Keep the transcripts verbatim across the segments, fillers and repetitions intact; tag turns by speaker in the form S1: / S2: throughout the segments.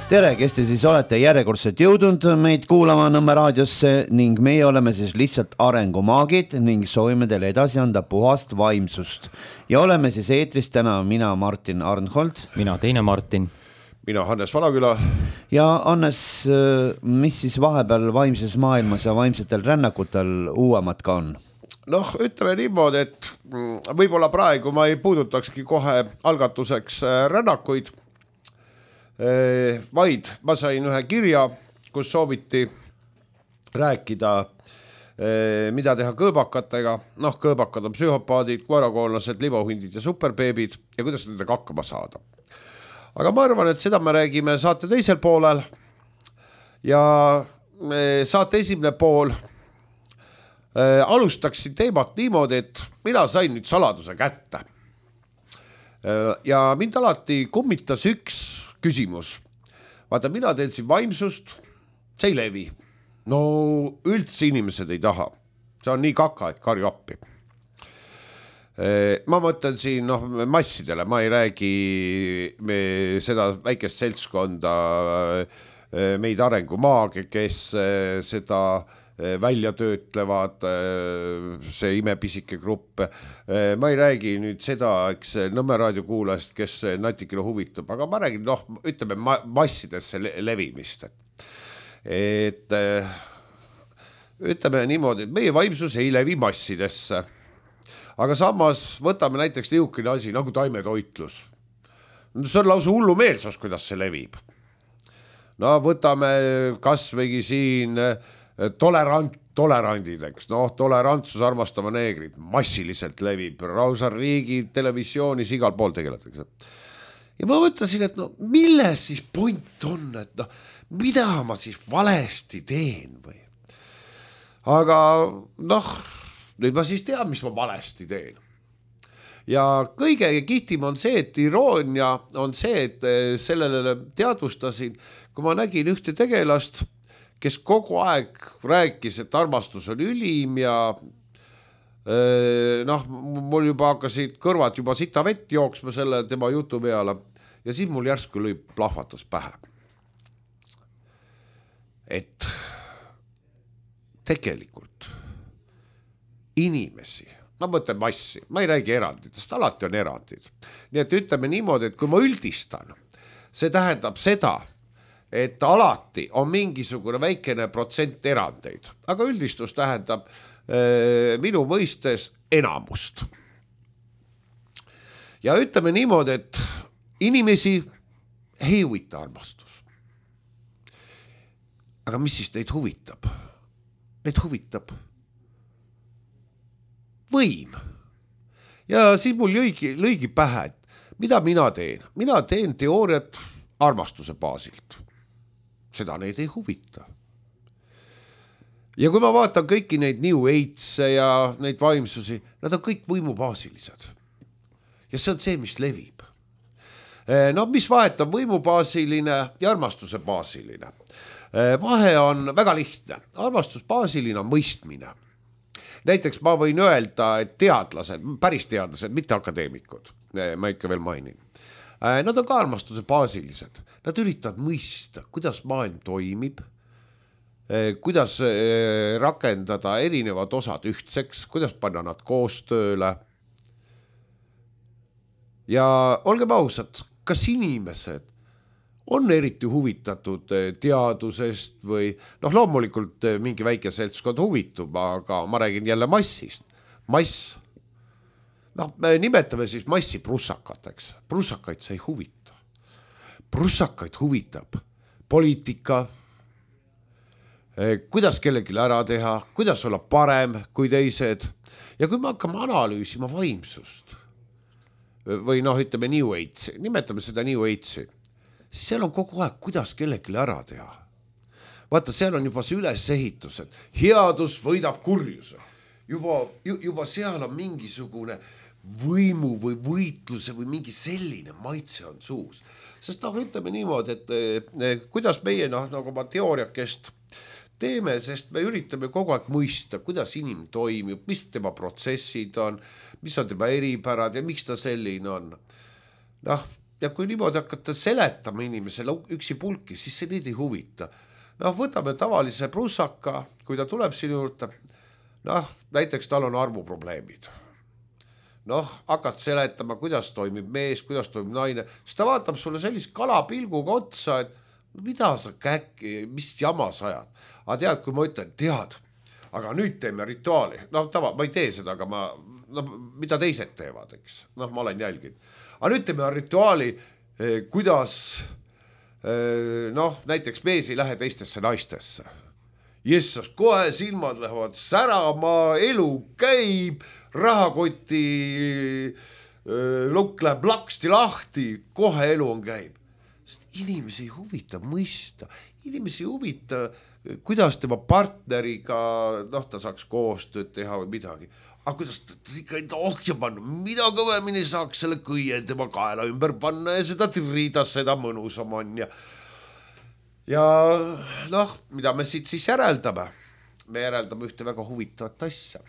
S1: Tere, kes te siis olete järjekordselt jõudnud meid kuulama Nõmme raadiosse ning meie oleme siis lihtsalt arengumaagid ning soovime teile edasi anda puhast vaimsust. Ja oleme siis eetris täna mina Martin Arnhold.
S2: Mina teine Martin.
S3: Mina Hannes Valaküla.
S1: Ja Hannes, mis siis vahepeal vaimses maailmas ja vaimsetel rännakutel uuemat ka on?
S3: Noh, ütleme niimoodi, et võib-olla praegu ma ei puudutakski kohe algatuseks rännakuid, vaid ma sain ühe kirja, kus sooviti rääkida, mida teha kõõbakatega. Noh, kõõbakad on psühhopaadid, koerakoollased, libahundid ja superbeebid ja kuidas nendega hakkama saada. Aga ma arvan, et seda me räägime saate teisel poolel ja saate esimene pool alustaksin teemat niimoodi, et mina sain nüüd saladuse kätte. Ja mind alati kummitas üks küsimus. Vaata, mina teen siin vaimsust, see ei levi. No üldse inimesed ei taha. See on nii kaka, et karju appi. Ma mõtlen siin noh, massidele, ma ei räägi me seda väikest seltskonda, meid arengumaage, kes seda välja töötlevad, see imepisike grupp. Ma ei räägi nüüd seda, eks Nõmme raadio kuulajast, kes natikene huvitab, aga ma räägin, noh, ütleme massidesse levimist. Et ütleme niimoodi, et meie vaimsus ei levi massidesse. Aga samas võtame näiteks niisugune asi nagu taimetoitlus. See on lausa hullu meelsus, kuidas see levib. No võtame kasvõigi siin tolerant, tolerandid, eks. No, tolerantsus armastava neegrid massiliselt levib. Lausa riigi televisioonis igal pool tegeletakse. Ja ma mõtlesin, et no milles siis point on, et no mida ma siis valesti teen või? Aga noh, nüüd ma siis tean, mis ma valesti teen. Ja kõige kihtim on see, et iroonia on see, et sellele teadvustasin, kui ma nägin ühte tegelast, kes kogu aeg rääkis, et armastus on ülim ja noh, mul juba hakkasid kõrvad juba sita vett jooksma selle tema jutu peale ja siis mul järsku lõi plahvatas pähe. Et tegelikult inimesi, ma mõtlen massi, ma ei räägi eranditest, alati on erandid. Nii et ütleme niimoodi, et kui ma üldistan, see tähendab seda, et alati on mingisugune väikene protsent erandeid, aga üldistus tähendab äh, minu mõistes enamust. Ja ütleme niimoodi, et inimesi ei huvita armastus. Aga mis siis neid huvitab? Neid huvitab võim. Ja siis mul lõigi, lõigi pähe, et mida mina teen? Mina teen teooriat armastuse baasilt. Seda neid ei huvita. Ja kui ma vaatan kõiki neid New Age'e ja neid vaimsusi, nad on kõik võimubaasilised. Ja see on see, mis levib. No mis vahet on võimubaasiline ja armastuse baasiline? Vahe on väga lihtne. Armastusbaasiline on mõistmine. Näiteks ma võin öelda, et teadlased, päris teadlased, mitte akadeemikud, ma ikka veel mainin. Nad on ka armastuse baasilised. Nad üritavad mõista, kuidas maailm toimib, kuidas rakendada erinevad osad ühtseks, kuidas panna nad koostööle. Ja olgem ausad, kas inimesed on eriti huvitatud teadusest või noh, loomulikult mingi väike seltskond huvitub, aga ma räägin jälle massist. Mass. Noh, me nimetame siis massi prussakateks. Prussakaid see ei huvita. Prussakaid huvitab poliitika, kuidas kellelegi ära teha, kuidas olla parem kui teised. Ja kui me hakkame analüüsima vaimsust või noh, ütleme New Age'i, nimetame seda New Age'i, siis seal on kogu aeg, kuidas kellelegi ära teha. Vaata, seal on juba see ülesehitus, et headus võidab kurjuse. Juba, juba seal on mingisugune võimu või võitluse või mingi selline maitse on suus. Sest noh, ütleme niimoodi, et kuidas meie noh, nagu ma teooriakest teeme, sest me üritame kogu aeg mõista, kuidas inimene toimib, mis tema protsessid on, mis on tema eripärad ja miks ta selline on. Noh, ja kui niimoodi hakata seletama inimesele üksi pulki, siis see neid ei huvita. Noh, võtame tavalise prussaka, kui ta tuleb sinu juurde, noh, näiteks tal on armuprobleemid. Noh, hakkad seletama, kuidas toimib mees, kuidas toimib naine, siis ta vaatab sulle sellist kalapilguga otsa, et mida sa käkki, mis jama sa ajad. Aga tead, kui ma ütlen, tead, aga nüüd teeme rituaali. No tava, ma ei tee seda, aga ma, no, mida teised teevad, eks. Noh, ma olen jälginud. Aga nüüd teeme rituaali, eh, kuidas, eh, noh, näiteks mees ei lähe teistesse naistesse. Jessas, kohe silmad lähevad särama, elu käib, rahakoti eh, lukk läheb laksti lahti, kohe elu on käib. Sest inimesi ei huvita mõista, inimesi ei huvita, kuidas tema partneriga, noh, ta saaks koostööd teha või midagi. Aga kuidas ta ikka enda ohja panna, mida kõvemini saaks selle kõie tema kaela ümber panna ja seda tirida, seda mõnusam on. Ja, ja noh, mida me siit siis järeldame? Me järeldame ühte väga huvitavat asja.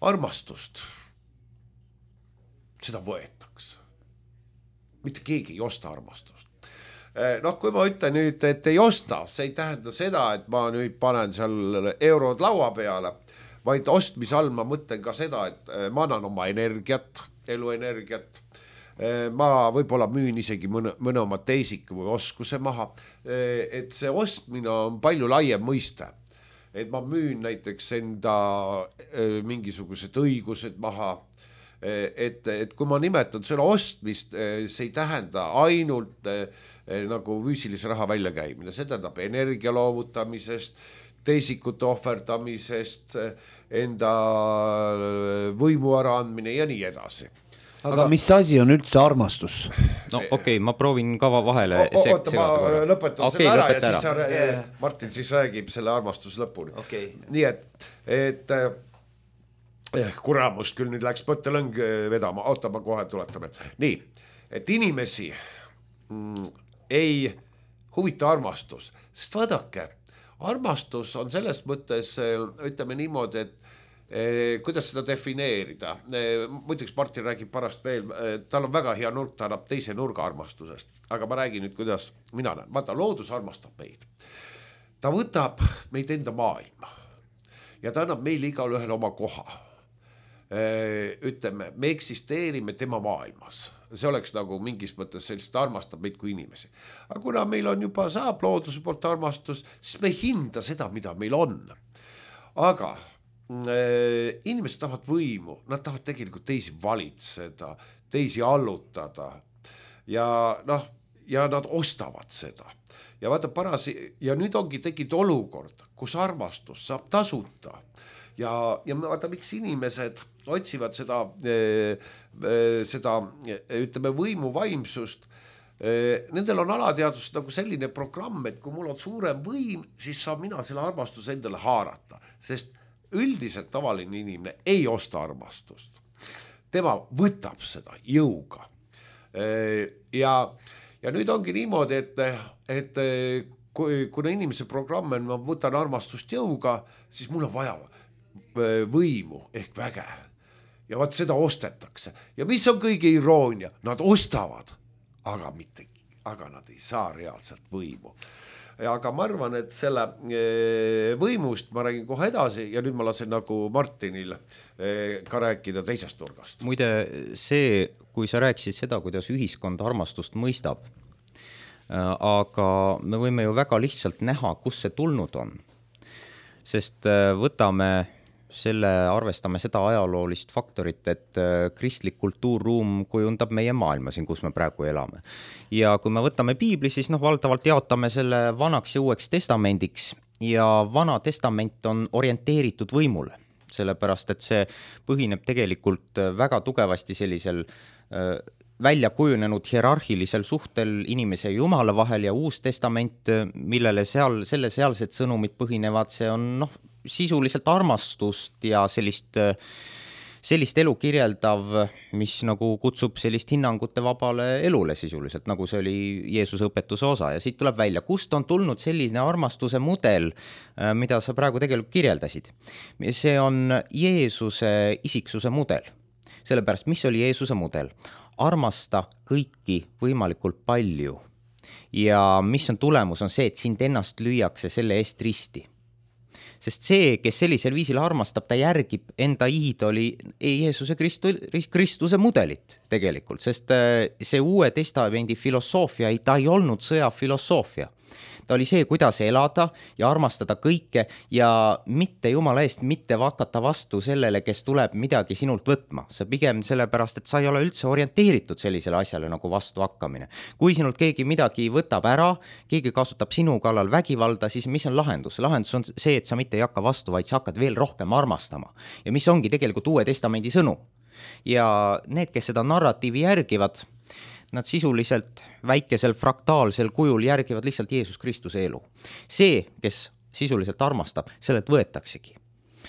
S3: Armastust. Seda võetakse. Mitte keegi ei osta armastust. Noh, kui ma ütlen nüüd, et ei osta, see ei tähenda seda, et ma nüüd panen seal eurod laua peale, vaid ostmise all ma mõtlen ka seda, et ma annan oma energiat, eluenergiat, ma võib-olla müün isegi mõne, mõne oma teisiku või oskuse maha, et see ostmine on palju laiem mõiste, et ma müün näiteks enda mingisugused õigused maha, et, et kui ma nimetan selle ostmist, see ei tähenda ainult nagu füüsilise raha väljakäimine, see tähendab energia loovutamisest, teisikute ohverdamisest, enda võimu ära andmine ja nii edasi.
S1: Aga, aga mis asi on üldse armastus?
S2: No okei, okay, ma proovin kava vahele
S3: o, o, oota, ma lõpetan okay, selle ära ja siis sa,
S1: yeah.
S3: Martin siis räägib selle armastus lõpuni.
S1: Okay.
S3: Nii et, et eh, kuramust küll nüüd läks mõttelõng vedama, oota, ma kohe tuletame. Nii, et inimesi mm, ei huvita armastus, sest vaadake, armastus on selles mõttes, ütleme niimoodi, et eh, kuidas seda defineerida. Eh, muiduks Martin räägib parast veel, eh, tal on väga hea nurk, ta annab teise nurga armastusest, aga ma räägin nüüd, kuidas mina näen. Vaata, loodus armastab meid. Ta võtab meid enda maailma ja ta annab meile igal ühel oma koha. Eh, ütleme, me eksisteerime tema maailmas. See oleks nagu mingis mõttes sellist armastab meid kui inimesi. Aga kuna meil on juba saab looduse poolt armastus, siis me ei hinda seda, mida meil on. Aga äh, inimesed tahavad võimu, nad tahavad tegelikult teisi valitseda, teisi allutada ja, noh, ja nad ostavad seda. Ja vaata parasi, ja nüüd ongi tekkinud olukord, kus armastus saab tasuta. Ja, ja vaata, miks inimesed otsivad seda, seda ütleme, võimu vaimsust. Nendel on alateadvus nagu selline programm, et kui mul on suurem võim, siis saab mina selle armastuse endale haarata. Sest üldiselt tavaline inimene ei osta armastust. Tema võtab seda jõuga. Ja, ja nüüd ongi niimoodi, et, et kui, kuna inimese programm on, ma võtan armastust jõuga, siis mul on vaja võimu ehk väge. Ja vaat seda ostetakse. Ja mis on kõige iroonia? Nad ostavad, aga, mitte, aga nad ei saa reaalselt võimu. Aga ma arvan, et selle võimust ma räägin kohe edasi ja nüüd ma lasen nagu Martinil ka rääkida teisest nurgast.
S2: Muide, see, kui sa rääkisid seda, kuidas ühiskond armastust mõistab, aga me võime ju väga lihtsalt näha, kus see tulnud on. Sest võtame selle, arvestame seda ajaloolist faktorit, et kristlik kultuurruum kujundab meie maailma siin, kus me praegu elame. Ja kui me võtame piibli, siis noh, valdavalt jaotame selle vanaks ja uueks testamendiks ja vana testament on orienteeritud võimule, sellepärast et see põhineb tegelikult väga tugevasti sellisel äh, välja kujunenud hierarhilisel suhtel inimese ja Jumala vahel ja uus testament, millele seal, selle sealsed sõnumid põhinevad, see on noh, sisuliselt armastust ja sellist, sellist elu kirjeldav, mis nagu kutsub sellist hinnangute vabale elule sisuliselt, nagu see oli Jeesuse õpetuse osa. Ja siit tuleb välja, kust on tulnud selline armastuse mudel, mida sa praegu tegelikult kirjeldasid. See on Jeesuse isiksuse mudel. Sellepärast, mis oli Jeesuse mudel? armasta kõiki võimalikult palju. Ja mis on tulemus, on see, et sind ennast lüüakse selle eest risti. Sest see, kes sellisel viisil armastab, ta järgib enda iidoli Jeesuse Kristu, Kristuse mudelit tegelikult, sest see Uue Testamendi filosoofia, ta ei olnud sõjafilosoofia. Ta oli see, kuidas elada ja armastada kõike ja mitte jumala eest mitte hakata vastu sellele, kes tuleb midagi sinult võtma. See pigem sellepärast, et sa ei ole üldse orienteeritud sellisele asjale nagu vastu hakkamine. Kui sinult keegi midagi võtab ära, keegi kasutab sinu kallal vägivalda, siis mis on lahendus? Lahendus on see, et sa mitte ei hakka vastu, vaid sa hakkad veel rohkem armastama. Ja mis ongi tegelikult Uue Testamendi sõnu. Ja need, kes seda narratiivi järgivad, nad sisuliselt väikesel fraktaalsel kujul järgivad lihtsalt Jeesus Kristuse elu. See, kes sisuliselt armastab, sellelt võetaksegi.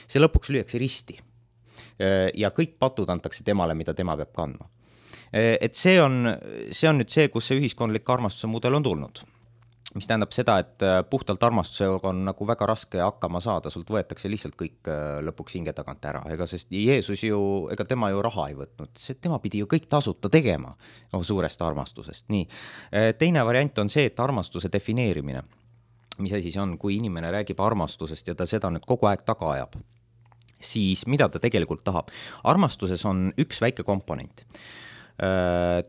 S2: See lõpuks lüüakse risti. Ja kõik patud antakse temale, mida tema peab kandma. Et see on, see on nüüd see, kus see ühiskondlik armastuse mudel on tulnud. Mis tähendab seda, et puhtalt armastusega on nagu väga raske hakkama saada, sult võetakse lihtsalt kõik lõpuks hinge tagant ära, ega sest Jeesus ju, ega tema ju raha ei võtnud, see, tema pidi ju kõik tasuta tegema no, suurest armastusest. Nii. Teine variant on see, et armastuse defineerimine, mis asi see on, kui inimene räägib armastusest ja ta seda nüüd kogu aeg taga ajab, siis mida ta tegelikult tahab? Armastuses on üks väike komponent.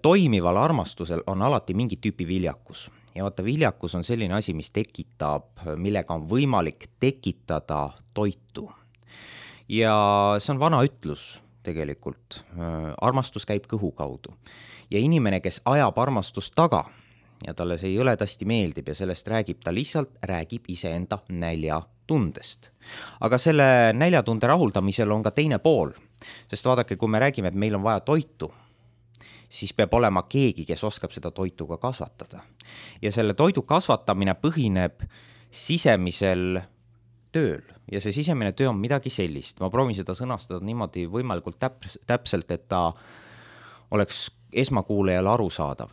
S2: Toimival armastusel on alati mingi tüüpi viljakus. Ja vaata, viljakus on selline asi, mis tekitab, millega on võimalik tekitada toitu. Ja see on vana ütlus tegelikult. Armastus käib kõhu kaudu. Ja inimene, kes ajab armastust taga ja talle see jõledasti meeldib ja sellest räägib, ta lihtsalt räägib iseenda näljatundest. Aga selle näljatunde rahuldamisel on ka teine pool. Sest vaadake, kui me räägime, et meil on vaja toitu, siis peab olema keegi, kes oskab seda toitu ka kasvatada. Ja selle toidu kasvatamine põhineb sisemisel tööl. Ja see sisemine töö on midagi sellist. Ma proovin seda sõnastada niimoodi võimalikult täps- täpselt, et ta oleks esmakuulajale arusaadav.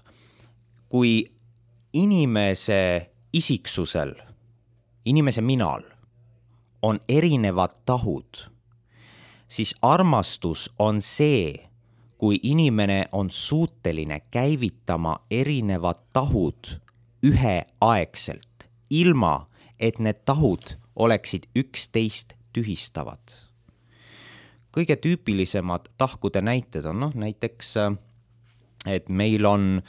S2: Kui inimese isiksusel, inimese minal on erinevad tahud, siis armastus on see, kui inimene on suuteline käivitama erinevad tahud üheaegselt, ilma et need tahud oleksid üksteist tühistavad. Kõige tüüpilisemad tahkude näited on noh, näiteks, et meil on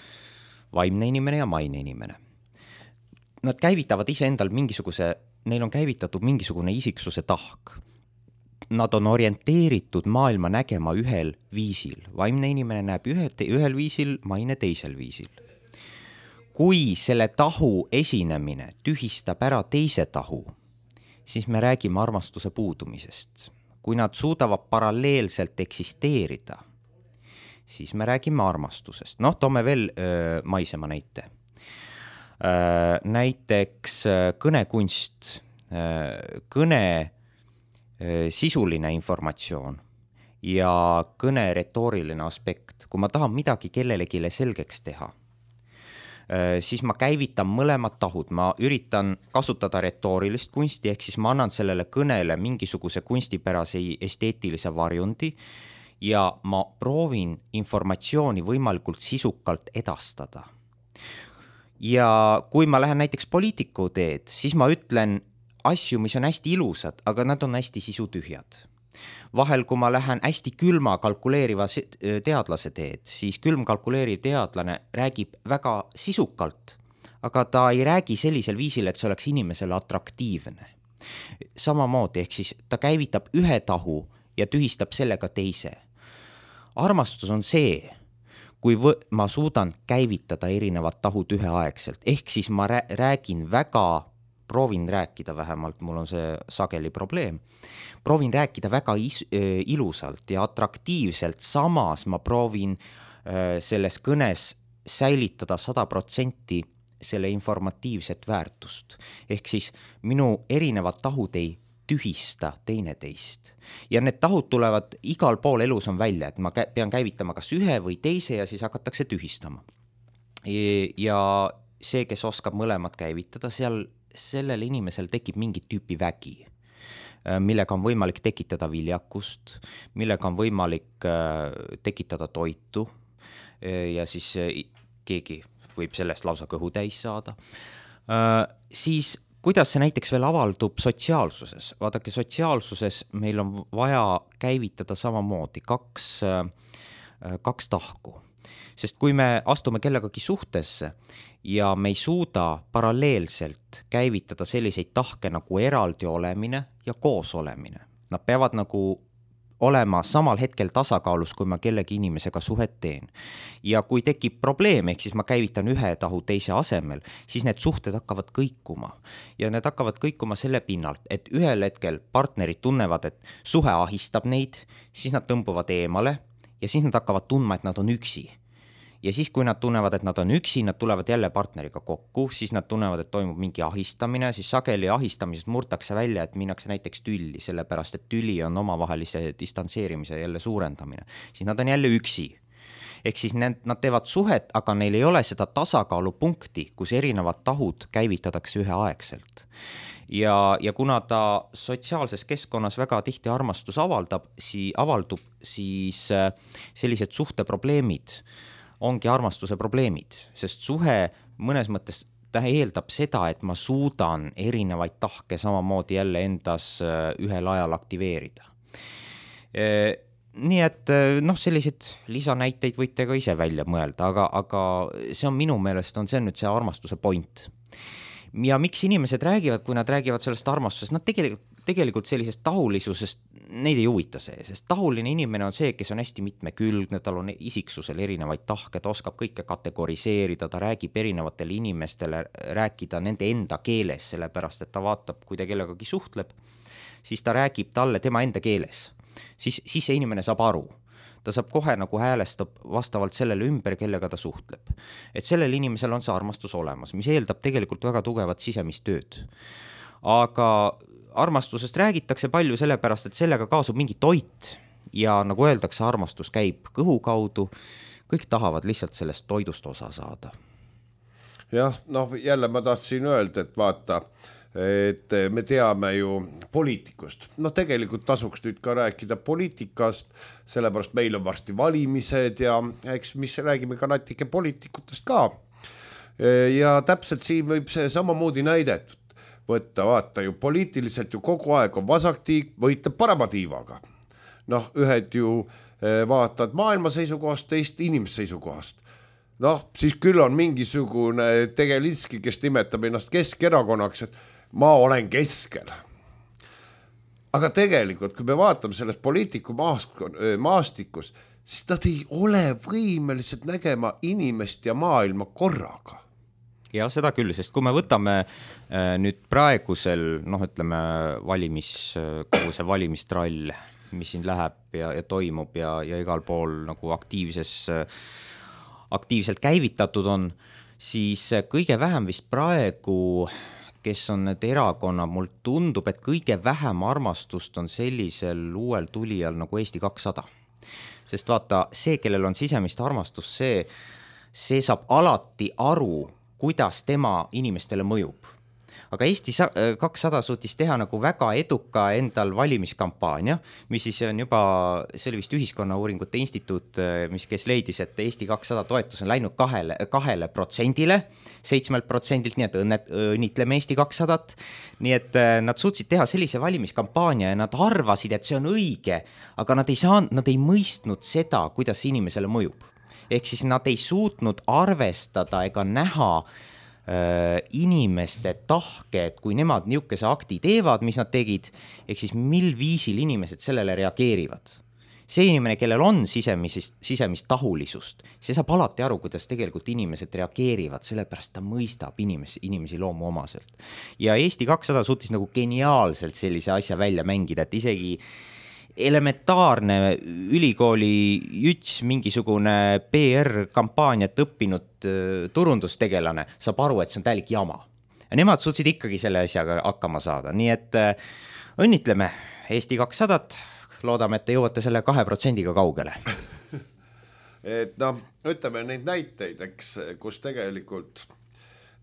S2: vaimne inimene ja maine inimene. Nad käivitavad iseendal mingisuguse, neil on käivitatud mingisugune isiksuse tahk. Nad on orienteeritud maailma nägema ühel viisil. Vaimne inimene näeb ühe, ühel viisil, maine teisel viisil. Kui selle tahu esinemine tühistab ära teise tahu, siis me räägime armastuse puudumisest. Kui nad suudavad paralleelselt eksisteerida, siis me räägime armastusest. Noh, toome veel öö, maisema näite. Öö, näiteks kõnekunst, öö, kõne sisuline informatsioon ja kõne retooriline aspekt. Kui ma tahan midagi kellelegile selgeks teha, siis ma käivitan mõlemad tahud. Ma üritan kasutada retoorilist kunsti, ehk siis ma annan sellele kõnele mingisuguse kunstipärase esteetilise varjundi ja ma proovin informatsiooni võimalikult sisukalt edastada. Ja kui ma lähen näiteks poliitiku teed, siis ma ütlen asju, mis on hästi ilusad, aga nad on hästi sisutühjad. Vahel, kui ma lähen hästi külma kalkuleeriva teadlase teed, siis külm kalkuleeriv teadlane räägib väga sisukalt, aga ta ei räägi sellisel viisil, et see oleks inimesele atraktiivne. Samamoodi, ehk siis ta käivitab ühe tahu ja tühistab sellega teise. Armastus on see, kui võ- ma suudan käivitada erinevad tahud üheaegselt, ehk siis ma räägin väga proovin rääkida vähemalt, mul on see sageli probleem, proovin rääkida väga is- ilusalt ja atraktiivselt, samas ma proovin äh, selles kõnes säilitada sada protsenti selle informatiivset väärtust. Ehk siis minu erinevad tahud ei tühista teineteist. Ja need tahud tulevad igal pool elus on välja, et ma pean käivitama kas ühe või teise ja siis hakatakse tühistama. Ja see, kes oskab mõlemad käivitada, seal sellel inimesel tekib mingit tüüpi vägi, millega on võimalik tekitada viljakust, millega on võimalik tekitada toitu ja siis keegi võib sellest lausa kõhu täis saada, siis kuidas see näiteks veel avaldub sotsiaalsuses? Vaadake, sotsiaalsuses meil on vaja käivitada samamoodi kaks, kaks tahku. Sest kui me astume kellegagi suhtesse ja me ei suuda paralleelselt käivitada selliseid tahke nagu eraldi olemine ja koos olemine, nad peavad nagu olema samal hetkel tasakaalus, kui ma kellegi inimesega suhet teen. Ja kui tekib probleem, ehk siis ma käivitan ühe tahu teise asemel, siis need suhted hakkavad kõikuma. Ja need hakkavad kõikuma selle pinnalt, et ühel hetkel partnerid tunnevad, et suhe ahistab neid, siis nad tõmbuvad eemale ja siis nad hakkavad tundma, et nad on üksi. Ja siis, kui nad tunnevad, et nad on üksi, nad tulevad jälle partneriga kokku, siis nad tunnevad, et toimub mingi ahistamine, siis sageli ahistamisest murtakse välja, et minnakse näiteks tülli, sellepärast, et tüli on omavahelise distantseerimise jälle suurendamine. Siis nad on jälle üksi. Ehk siis need, nad teevad suhet, aga neil ei ole seda tasakaalupunkti, kus erinevad tahud käivitatakse üheaegselt. Ja, ja kuna ta sotsiaalses keskkonnas väga tihti armastus avaldab, si, avaldub, siis sellised suhteprobleemid ongi armastuse probleemid, sest suhe mõnes mõttes ta eeldab seda, et ma suudan erinevaid tahke samamoodi jälle endas ühel ajal aktiveerida. Nii et noh, sellised lisanäiteid võite ka ise välja mõelda, aga, aga see on minu meelest, on see nüüd see armastuse point. Ja miks inimesed räägivad, kui nad räägivad sellest armastusest, nad tegelikult, tegelikult sellisest tahulisusest, neid ei huvita see, sest tahuline inimene on see, kes on hästi mitmekülgne, tal on isiksusel erinevaid tahke, ta oskab kõike kategoriseerida, ta räägib erinevatele inimestele, rääkida nende enda keeles, sellepärast, et ta vaatab, kui ta kellegagi suhtleb, siis ta räägib talle tema enda keeles. Siis, siis see inimene saab aru. Ta saab kohe nagu häälestab vastavalt sellele ümber, kellega ta suhtleb. Et sellel inimesel on see armastus olemas, mis eeldab tegelikult väga tugevat sisemist tööd. Aga armastusest räägitakse palju sellepärast, et sellega kaasub mingi toit ja nagu öeldakse, armastus käib kõhu kaudu, kõik tahavad lihtsalt sellest toidust osa saada.
S3: Jah, noh jälle ma tahtsin öelda, et vaata, et me teame ju poliitikust. No tegelikult tasuks nüüd ka rääkida poliitikast, sellepärast meil on varsti valimised ja eks mis räägime ka natuke poliitikutest ka. Ja täpselt siin võib see samamoodi näidet võtta, vaata ju poliitiliselt ju kogu aeg on vasaktiiv võitleb parema tiivaga. Noh, ühed ju vaatad maailma seisukohast, teist inimese seisukohast. Noh, siis küll on mingisugune Tegelinski, kes nimetab ennast Keskerakonnaks, et ma olen keskel. Aga tegelikult, kui me vaatame selles poliitiku maastikus, siis nad ei ole võimelised nägema inimest ja maailma korraga.
S2: Ja seda küll, sest kui me võtame nüüd praegusel, noh ütleme, valimis, kogu see valimistrall, mis siin läheb ja, ja toimub ja, ja igal pool nagu aktiivses, aktiivselt käivitatud on, siis kõige vähem vist praegu, kes on need erakonna, mul tundub, et kõige vähem armastust on sellisel uuel tulijal nagu Eesti kakssada. Sest vaata, see, kellel on sisemist armastus, see, see saab alati aru, kuidas tema inimestele mõjub. Aga Eesti kakssada suutis teha nagu väga eduka endal valimiskampaania, mis siis on juba, see oli vist Ühiskonnauuringute Instituut, mis kes leidis, et Eesti kakssada toetus on läinud kahele, kahele protsendile, seitsmelt protsendilt, nii et õnnet, õnnitleme Eesti kakssada. Nii et nad suutsid teha sellise valimiskampaania ja nad arvasid, et see on õige, aga nad ei saanud, nad ei mõistnud seda, kuidas inimesele mõjub. Ehk siis nad ei suutnud arvestada ega näha inimeste tahke, et kui nemad niisuguse akti teevad, mis nad tegid, ehk siis mil viisil inimesed sellele reageerivad. See inimene, kellel on sisemist, sisemist tahulisust, see saab alati aru, kuidas tegelikult inimesed reageerivad, sellepärast ta mõistab inimesi, inimesi loomu omaselt. Ja Eesti kakssada suutis nagu geniaalselt sellise asja välja mängida, et isegi elementaarne ülikooli juts, mingisugune P R-kampaaniat õppinud turundustegelane saab aru, et see on täielik jama. Ja nemad suutsid ikkagi selle asjaga hakkama saada. Nii et õnnitleme Eesti kakssada, loodame, et te jõuate selle kahe protsendiga kaugele.
S3: Et noh, ütleme neid näiteid, eks, kus tegelikult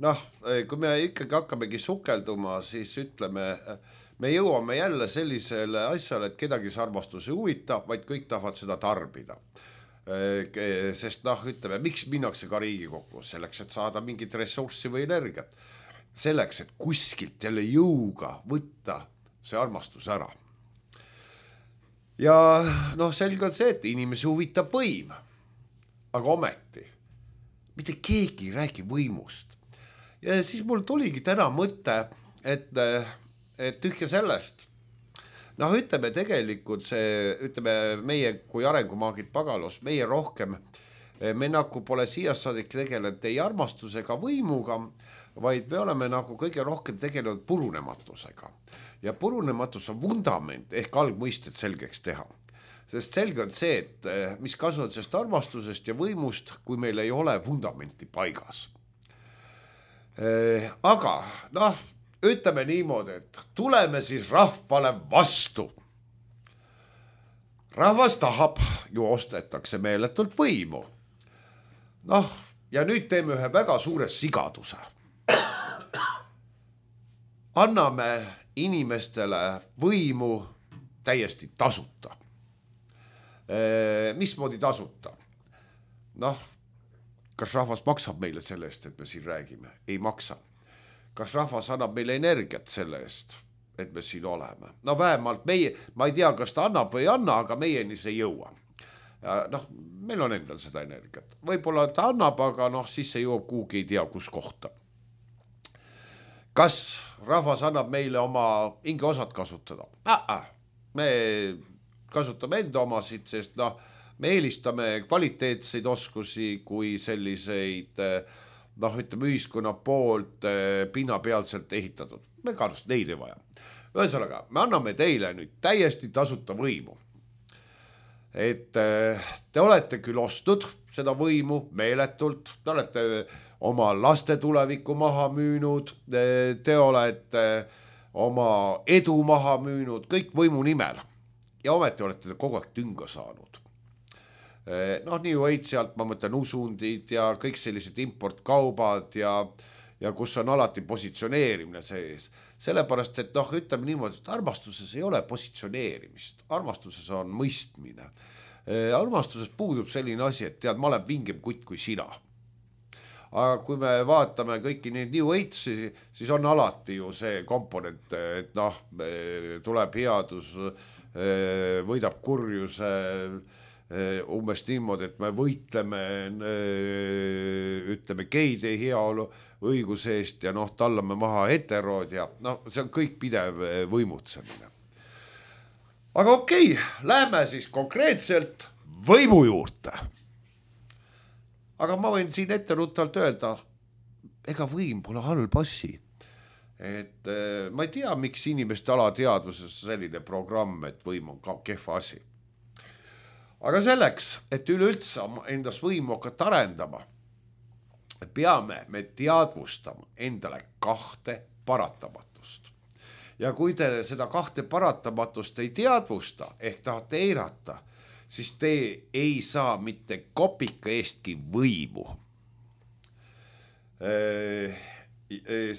S3: noh, kui me ikkagi hakkamegi sukelduma, siis ütleme me jõuame jälle sellisele asjale, et kedagi see armastus ei huvita, vaid kõik tahavad seda tarbida. sest noh, ütleme, miks minnakse ka Riigikokku, selleks, et saada mingit ressurssi või energiat, selleks, et kuskilt jälle jõuga võtta see armastus ära. Ja noh, selge on see, et inimesi huvitab võim, aga ometi mitte keegi ei räägi võimust. Ja siis mul tuligi täna mõte, et, et tühja sellest. Noh, ütleme tegelikult see, ütleme meie kui arengumaagid Pagalus, meie rohkem, me nagu pole siias saadik tegelenud ei armastusega võimuga, vaid me oleme nagu kõige rohkem tegelenud purunematusega. Ja purunematus on vundament ehk algmõisted selgeks teha. Sest selge on see, et mis kasu on sellest armastusest ja võimust, kui meil ei ole vundamenti paigas. Aga noh, ütleme niimoodi, et tuleme siis rahvale vastu. Rahvas tahab, ju ostetakse meeletult võimu. Noh, ja nüüd teeme ühe väga suure sigaduse. Anname inimestele võimu täiesti tasuta. E, mismoodi tasuta? Noh, kas rahvas maksab meile selle eest, et me siin räägime? Ei maksa. Kas rahvas annab meile energiat selle eest, et me siin oleme? No vähemalt meie, ma ei tea, kas ta annab või ei anna, aga meieni see jõua. Ja noh, meil on endal seda energiat. Võib-olla ta annab, aga noh, siis see jõuab kuhugi ei tea, kus kohta. Kas rahvas annab meile oma inge osad kasutada? Ah, me kasutame enda omasid, sest noh, me eelistame kvaliteetseid oskusi kui selliseid noh, ütleme ühiskonna poolt pinnapealselt ehitatud. Me kannast neid ei vaja. Ühesõnaga, me anname teile nüüd täiesti tasuta võimu. Et te olete küll ostnud seda võimu meeletult, te olete oma laste tulevikku maha müünud, te olete oma edu maha müünud, kõik võimu nimel. Ja ometi olete te kogu aeg tünga saanud. Noh, nii võid sealt, ma mõtlen usundid ja kõik sellised importkaubad ja, ja kus on alati positsioneerimine sees. Sellepärast, et noh, ütleme niimoodi, et armastuses ei ole positsioneerimist. Armastuses on mõistmine. Armastuses puudub selline asi, et tead, ma olen vingem kutt kui sina. Aga kui me vaatame kõiki neid New Agesi, siis on alati ju see komponent, et noh, tuleb headus, võidab kurjuse, umbes niimoodi, et me võitleme, ütleme, geide heaolu õiguse eest ja noh, tallame maha heterood ja noh, see on kõik pidev võimutsemine. Aga okei, lähme siis konkreetselt võimu juurde. Aga ma võin siin ette ruttalt öelda, ega võim pole halb asi. Et ma ei tea, miks inimeste alateadvuses selline programm, et võim on ka kehva asi. Aga selleks, et üleüldse endas võimu hakata arendama, peame me teadvustama endale kahte paratamatust. Ja kui te seda kahte paratamatust ei teadvusta, ehk tahate eirata, siis te ei saa mitte kopika eestki võimu.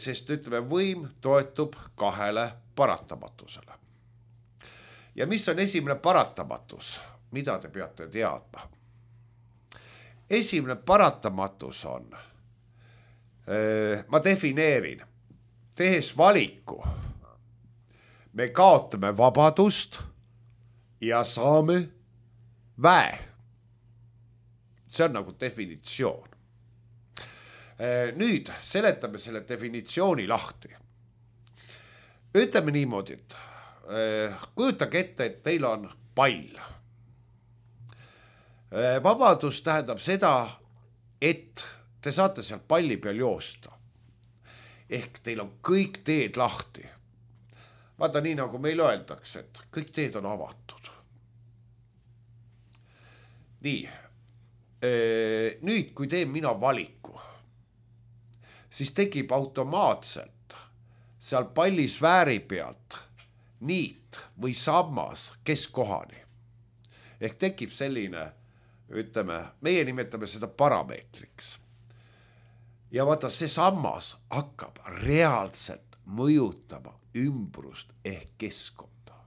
S3: Sest ütleme, võim toetub kahele paratamatusele. Ja mis on esimene paratamatus? Mida te peate teadma? Esimene paratamatus on, ma defineerin, tehes valiku, me kaotame vabadust ja saame väe. See on nagu definitsioon. Nüüd seletame selle definitsiooni lahti. Ütleme niimoodi, et kujutage ette, et teil on pall. Vabadus tähendab seda, et te saate seal palli peal joosta. Ehk teil on kõik teed lahti. Vaata nii, nagu meil öeldakse, et kõik teed on avatud. Nii, nüüd kui teen mina valiku, siis tekib automaatselt seal pallisfääri pealt niit või sammas keskkohani. Ehk tekib selline, ütleme, meie nimetame seda parameetriks. Ja vaata, see sammas hakkab reaalselt mõjutama ümbrust ehk keskkonda.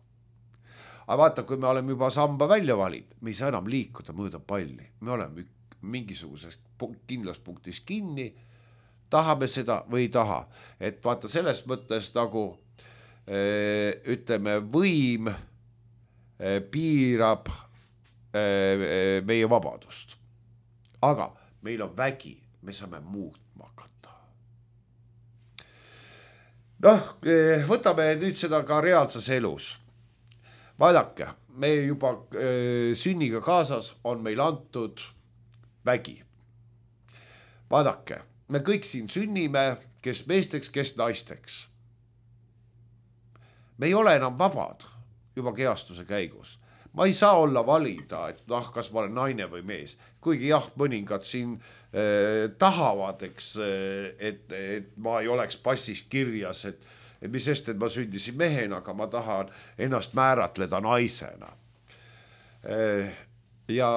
S3: aga vaata, kui me oleme juba samba välja valinud, me ei saa enam liikuda mööda palli, me oleme mingisuguses kindlas punktis kinni, tahame seda või ei taha, et vaata selles mõttes nagu öö, ütleme, võim öö, piirab öö, meie vabadust, aga meil on vägi, me saame muutma hakata. Noh, võtame nüüd seda ka reaalses elus. Vaadake, me juba öö, sünniga kaasas on meil antud vägi. Vaadake, me kõik siin sünnime, kes meesteks, kes naisteks. Me ei ole enam vabad juba keastuse käigus. Ma ei saa olla valida, et noh, kas ma olen naine või mees. Kuigi jah, mõningad siin eh, tahavad, eks, et, et ma ei oleks passis kirjas, et, et mis sest, et ma sündisin mehena, aga ma tahan ennast määratleda naisena. Eh, ja,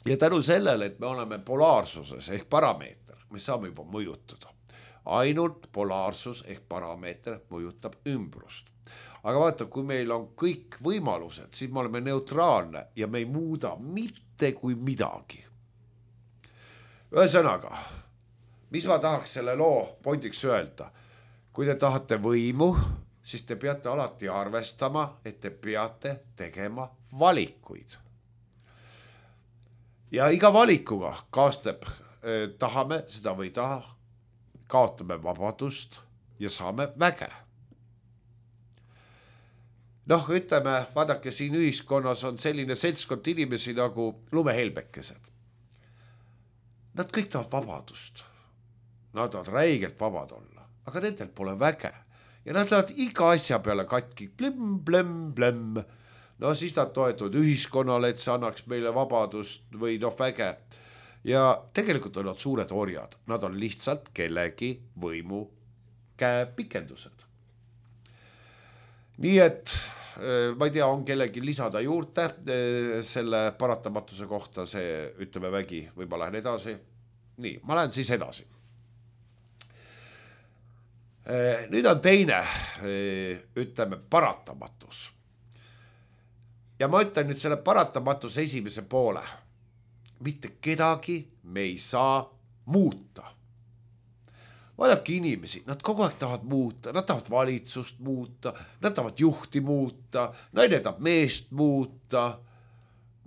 S3: ja tänu sellele, et me oleme polaarsuses ehk parameeter, me saame juba mõjutada. Ainult polaarsus ehk parameeter mõjutab ümbrust. Aga vaata, kui meil on kõik võimalused, siis me oleme neutraalne ja me ei muuda mitte kui midagi. Ühesõnaga, mis ma tahaks selle loo pointiks öelda? Kui te tahate võimu, siis te peate alati arvestama, et te peate tegema valikuid. Ja iga valikuga kaastab, eh, tahame seda või taha, kaotame vabadust ja saame väge. Noh, ütleme, vaadake, siin ühiskonnas on selline seltskond inimesi nagu lumehelbekesed. Nad kõik tahavad vabadust. Nad tahavad räigelt vabad olla, aga nendel pole väge. Ja nad lähevad iga asja peale katki, blem, blem, blem. No siis nad toetuvad ühiskonnale, et see annaks meile vabadust või noh väge. Ja tegelikult on nad suured orjad. Nad on lihtsalt kellegi võimu käepikendused. Nii et ma ei tea, on kellegi lisada juurde selle paratamatuse kohta, see ütleme vägi, või ma lähen edasi. Nii, ma lähen siis edasi. Nüüd on teine, ütleme, paratamatus. Ja ma ütlen nüüd selle paratamatuse esimese poole. Mitte kedagi me ei saa muuta. Vaadake inimesi, nad kogu aeg tahavad muuta, nad tahavad valitsust muuta, nad tahavad juhti muuta, naine tahab meest muuta,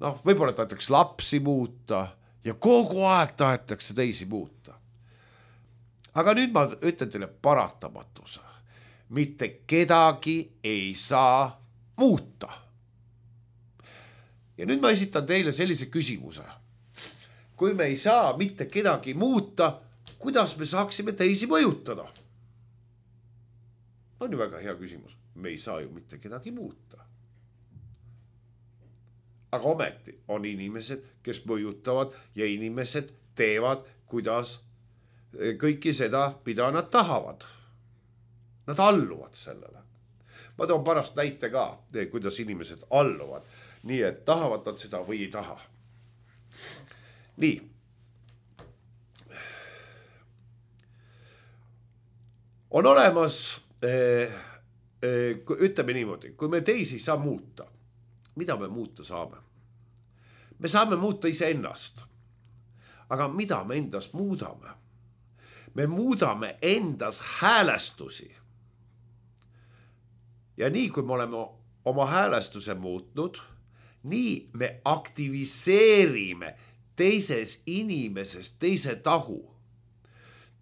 S3: noh, võib-olla tahetakse lapsi muuta ja kogu aeg tahetakse teisi muuta. Aga nüüd ma ütlen teile paratamatuse. Mitte kedagi ei saa muuta. Ja nüüd ma esitan teile sellise küsimuse. Kui me ei saa mitte kedagi muuta, kuidas me saaksime teisi mõjutada? On ju väga hea küsimus. Me ei saa ju mitte kedagi muuta. Aga ometi on inimesed, kes mõjutavad ja inimesed teevad, kuidas kõiki seda, mida nad tahavad. Nad alluvad sellele. Ma toon pärast näite ka, kuidas inimesed alluvad. Nii et tahavad nad seda või ei taha. Nii. On olemas, ütleme niimoodi, kui me teisi saa muuta, mida me muuta saame? Me saame muuta iseennast. Aga mida me endas muudame? Me muudame endas häälestusi. Ja nii kui me oleme oma häälestuse muutnud, nii me aktiviseerime teises inimeses teise tahu.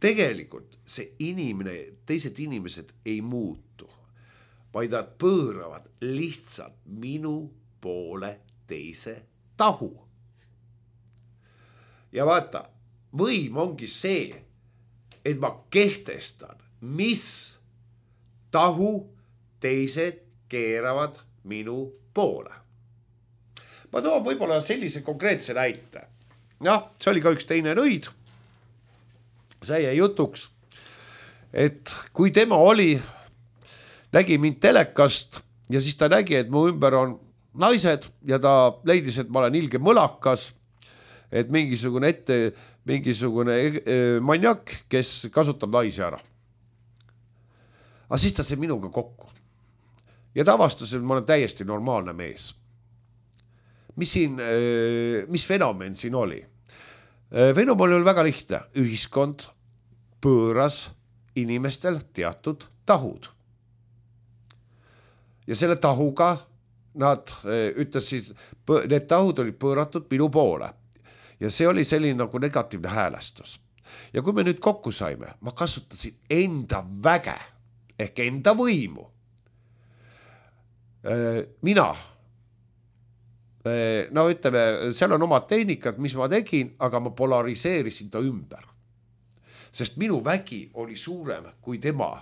S3: Tegelikult see inimene, teised inimesed ei muutu, vaid nad pööravad lihtsalt minu poole teise tahu. Ja vaata, võim ongi see, et ma kehtestan, mis tahu teised keeravad minu poole. Ma toon võib-olla sellise konkreetse näite. Jah, see oli ka üks teine nõid. See jäi jutuks, et kui tema oli, nägi mind telekast ja siis ta nägi, et mu ümber on naised ja ta leidis, et ma olen ilge mõlakas, et mingisugune ette, mingisugune maniak, kes kasutab naisi ära. Aga siis ta sai minuga kokku. ja ta avastas, et ma olen täiesti normaalne mees. Mis siin, mis fenomen siin oli? Fenomen oli väga lihtne. Ühiskond pööras inimestel teatud tahud. Ja selle tahuga nad ütlesid, need tahud olid pööratud minu poole. Ja see oli selline nagu negatiivne häälestus. Ja kui me nüüd kokku saime, ma kasutasin enda väge ehk enda võimu. Mina, no ütleme, seal on omad tehnikad, mis ma tegin, aga ma polariseerisin ta ümber. Sest minu vägi oli suurem kui tema,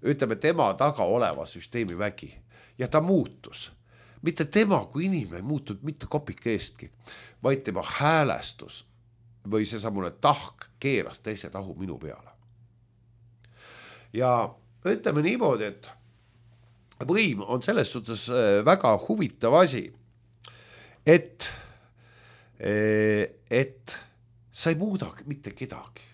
S3: ütleme tema taga oleva süsteemi vägi. Ja ta muutus. Mitte tema kui inimene ei muutunud mitte kopike eestki, vaid tema häälestus või see samune tahk keeras teise tahu minu peale. Ja ütleme niimoodi, et võim on selles suhtes väga huvitav asi, et, et sa ei muuda mitte kedagi.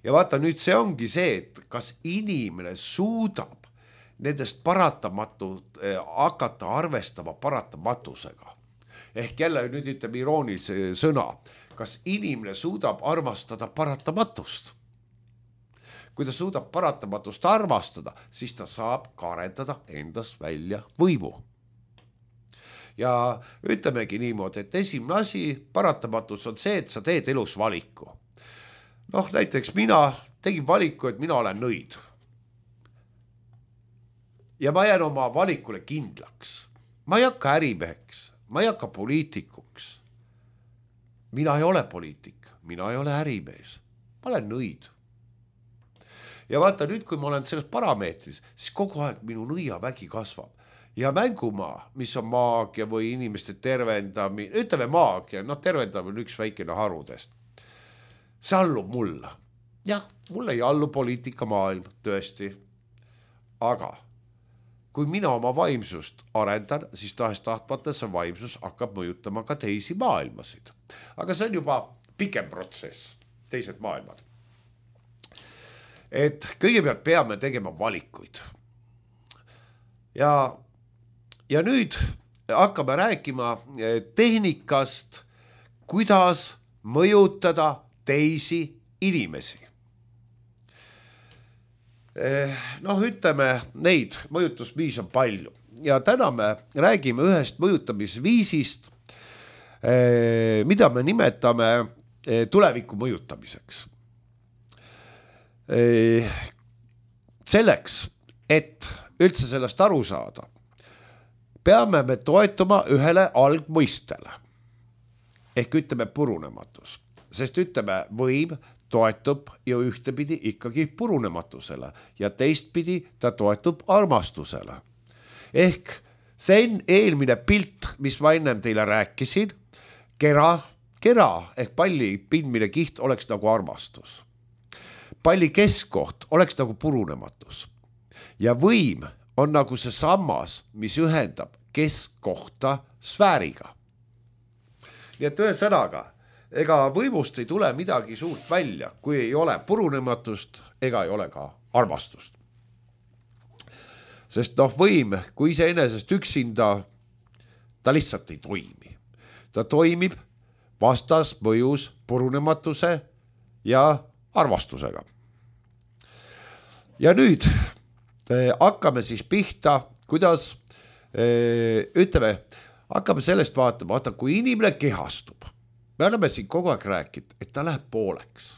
S3: Ja vaata, nüüd see ongi see, et kas inimene suudab nendest paratamatult eh, hakata arvestama paratamatusega. Ehk jälle nüüd ütleme iroonilise sõna, kas inimene suudab armastada paratamatust. Kui ta suudab paratamatust armastada, siis ta saab ka arendada endast välja võimu. Ja ütlemegi niimoodi, et esimene asi paratamatus on see, et sa teed elus valiku. Noh, näiteks mina tegin valiku, et mina olen nõid. Ja ma jään oma valikule kindlaks. Ma ei hakka ärimeheks, ma ei hakka poliitikuks. Mina ei ole poliitik, mina ei ole ärimees. Ma olen nõid. Ja vaata nüüd, kui ma olen selles parameetris, siis kogu aeg minu nõiavägi kasvab. Ja mängumaa, mis on maagia või inimeste tervendamine, ütleme maagia, noh tervendamine on üks väikene harudest. See allub mulle. Jah, mulle ei allu poliitika maailm, tõesti. Aga kui mina oma vaimsust arendan, siis tahes tahtmata see vaimsus hakkab mõjutama ka teisi maailmasid. Aga see on juba pikem protsess, teised maailmad. Et kõigepealt peame tegema valikuid. Ja, ja nüüd hakkame rääkima tehnikast, kuidas mõjutada teisi inimesi. Noh, ütleme, neid mõjutusviis on palju. Ja täna me räägime ühest mõjutamisviisist, mida me nimetame tuleviku mõjutamiseks. Selleks, et üldse sellest aru saada, peame me toetuma ühele algmõistele. Ehk ütleme purunematus. Sest ütleme võim toetub ju ühtepidi ikkagi purunematusele ja teistpidi ta toetub armastusele. Ehk see eelmine pilt, mis ma ennem teile rääkisin, kera, kera ehk palli pindmine kiht oleks nagu armastus. Palli keskkoht oleks nagu purunematus. Ja võim on nagu see sammas, mis ühendab keskkohta sfääriga. Nii et ühe sõnaga, ega võimust ei tule midagi suurt välja, kui ei ole purunematust ega ei ole ka armastust. Sest noh, võim, kui iseenesest üksinda, ta lihtsalt ei toimi. Ta toimib vastas mõjus purunematuse ja armastusega. Ja nüüd eh, hakkame siis pihta, kuidas, eh, ütleme, hakkame sellest vaatama, vaata, kui inimene kehastub. Me oleme siin kogu aeg rääkinud, et ta läheb pooleks.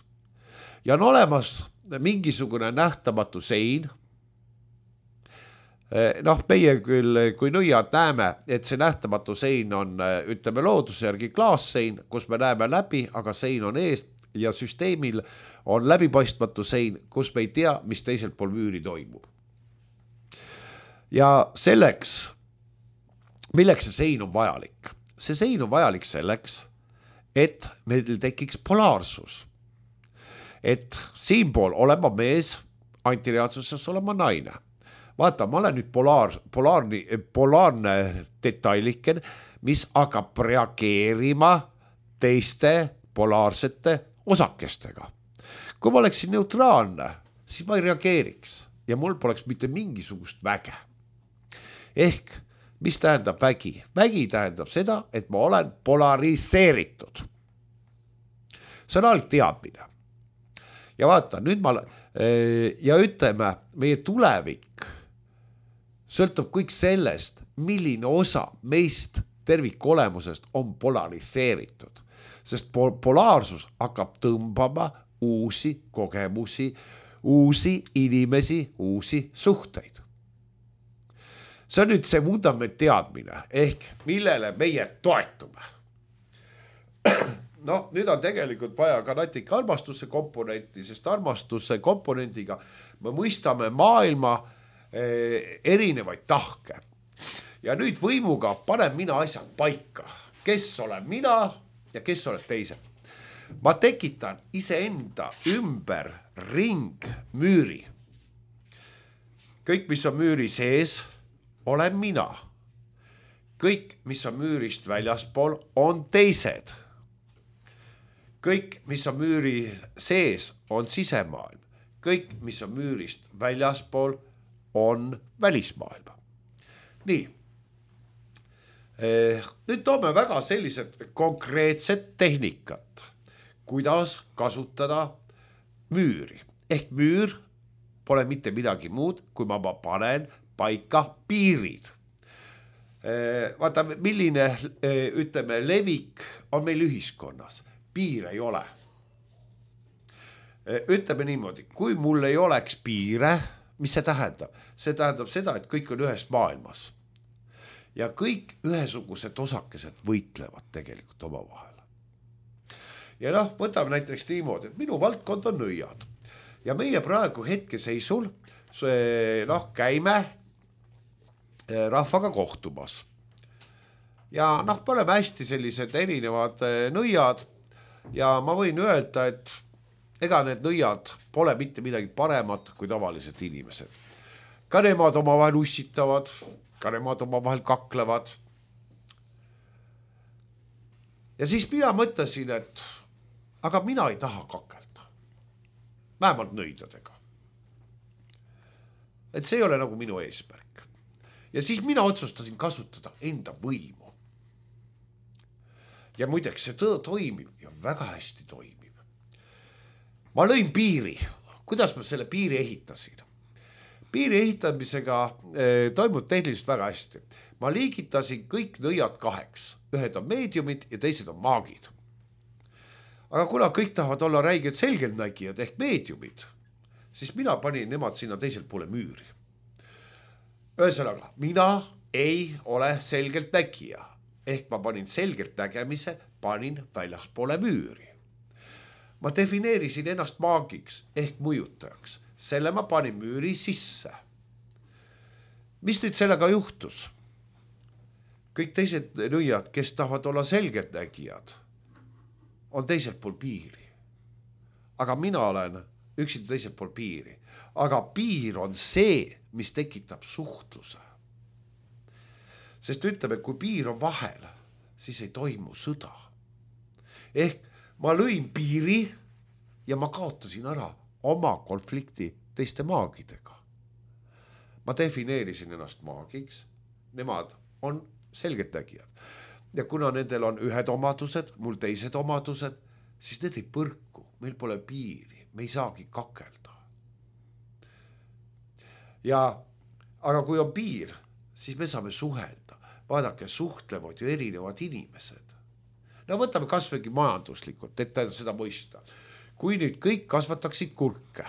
S3: Ja on olemas mingisugune nähtamatu sein. Noh, meie küll, kui nõiad näeme, et see nähtamatu sein on, ütleme, looduse järgi klaassein, kus me näeme läbi, aga sein on ees ja süsteemil on läbipaistmatu sein, kus me ei tea, mis teiselt pool müüri toimub. Ja selleks, milleks see sein on vajalik? See sein on vajalik selleks, et meil tekiks polaarsus. Et siinpool olema mees, antireaalsuses olema naine. Vaata, ma olen nüüd polaar, polaarni, polaarne detailiken, mis hakkab reageerima teiste polaarsete osakestega. Kui ma oleksin neutraalne, siis ma ei reageeriks ja mul poleks mitte mingisugust väge. ehk mis tähendab vägi? Vägi tähendab seda, et ma olen polariseeritud. See on algteadmine. Ja vaata, nüüd ma ja ütleme, meie tulevik sõltub kõik sellest, milline osa meist tervikolemusest on polariseeritud. Sest polaarsus hakkab tõmbama uusi kogemusi, uusi inimesi, uusi suhteid. See on nüüd see vundament teadmine, ehk millele meie toetume. No, nüüd on tegelikult vaja ka natika armastuse komponenti, sest armastuse komponendiga me mõistame maailma eh, erinevaid tahke. Ja nüüd võimuga panen mina asjad paika, kes olen mina ja kes oled teised. Ma tekitan iseenda ümber ringmüüri. Kõik, mis on müüri sees, olen mina. Kõik, mis on müürist väljaspool, on teised. Kõik, mis on müüri sees, on sisemaailm. Kõik, mis on müürist väljaspool, on välismaailm. Nii. Nüüd toome väga sellised konkreetsed tehnikat, kuidas kasutada müüri. Ehk müür pole mitte midagi muud, kui ma panen paika piirid. Vaata, milline, ütleme, levik on meil ühiskonnas. Piir ei ole. Ütleme niimoodi, kui mul ei oleks piire, mis see tähendab? See tähendab seda, et kõik on ühes maailmas. Ja kõik ühesugused osakesed võitlevad tegelikult oma vahel. Ja noh, võtame näiteks niimoodi, et minu valdkond on nõiad. Ja meie praegu hetkeseisul noh, käime rahvaga kohtumas. Ja noh, me oleme hästi sellised erinevad nõiad ja ma võin öelda, et ega need nõiad pole mitte midagi paremat kui tavalised inimesed. Ka nemad oma vahel ussitavad, ka nemad oma vahel kaklevad. Ja siis mina mõtlesin, et aga mina ei taha kakelda. Vähemalt nõidadega. Et see ei ole nagu minu eesmärk. Ja siis mina otsustasin kasutada enda võimu. Ja muideks see tõe toimib ja väga hästi toimib. Ma lõin piiri. Kuidas ma selle piiri ehitasin? Piiri ehitamisega eh, toimub tehniliselt väga hästi. Ma liigitasin kõik nõiad kaheks. Ühed on meediumid ja teised on maagid. Aga kuna kõik tahavad olla räiged selgeltnägijad ehk meediumid, siis mina panin nemad sinna teisel poole müüri. Ühesõnaga, mina ei ole selgelt nägija, ehk ma panin selgelt nägemise, panin väljaspoole müüri. Ma defineerisin ennast maagiks ehk mõjutajaks, selle ma panin müüri sisse. Mis nüüd sellega juhtus? Kõik teised nõiad, kes tahavad olla selgelt nägijad, on teisel pool piiri. Aga mina olen üksinda teisel pool piiri. Aga piir on see, mis tekitab suhtluse. Sest ütleme, kui piir on vahel, siis ei toimu sõda. Ehk ma lõin piiri ja ma kaotasin ära oma konflikti teiste maagidega. Ma defineerisin ennast maagiks, nemad on selgelt nägijad. Ja kuna nendel on ühed omadused, mul teised omadused, siis need ei põrku, meil pole piiri, me ei saagi kakelda. Ja, aga kui on piir, siis me saame suhelda. Vaadake, suhtlevad ju erinevad inimesed. No võtame kasvõi majanduslikult, et seda mõista. Kui nüüd kõik kasvataksid kurke,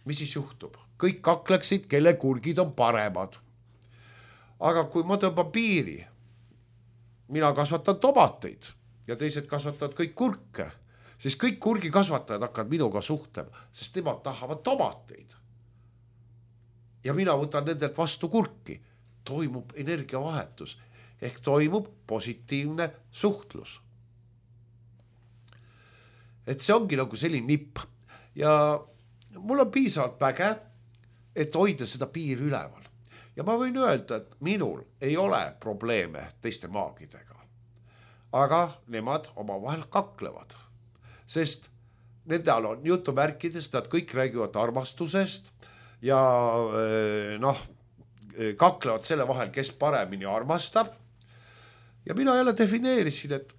S3: mis siis juhtub? Kõik kakleksid, kelle kurgid on paremad. Aga kui ma tõmban piiri, mina kasvatan tomateid ja teised kasvatavad kõik kurke, siis kõik kurgi kasvatajad hakkavad minuga suhtlema, sest nemad tahavad tomateid. Ja mina võtan nendelt vastu kurki. Toimub energiavahetus ehk toimub positiivne suhtlus. Et see ongi nagu selline nipp ja mul on piisavalt väge, et hoida seda piiri üleval. Ja ma võin öelda, et minul ei ole probleeme teiste maagidega. Aga nemad oma vahel kaklevad, sest nendel on jutumärkides, nad kõik räägivad armastusest ja noh, kaklevad selle vahel, kes paremini armastab. Ja mina jälle defineerisin, et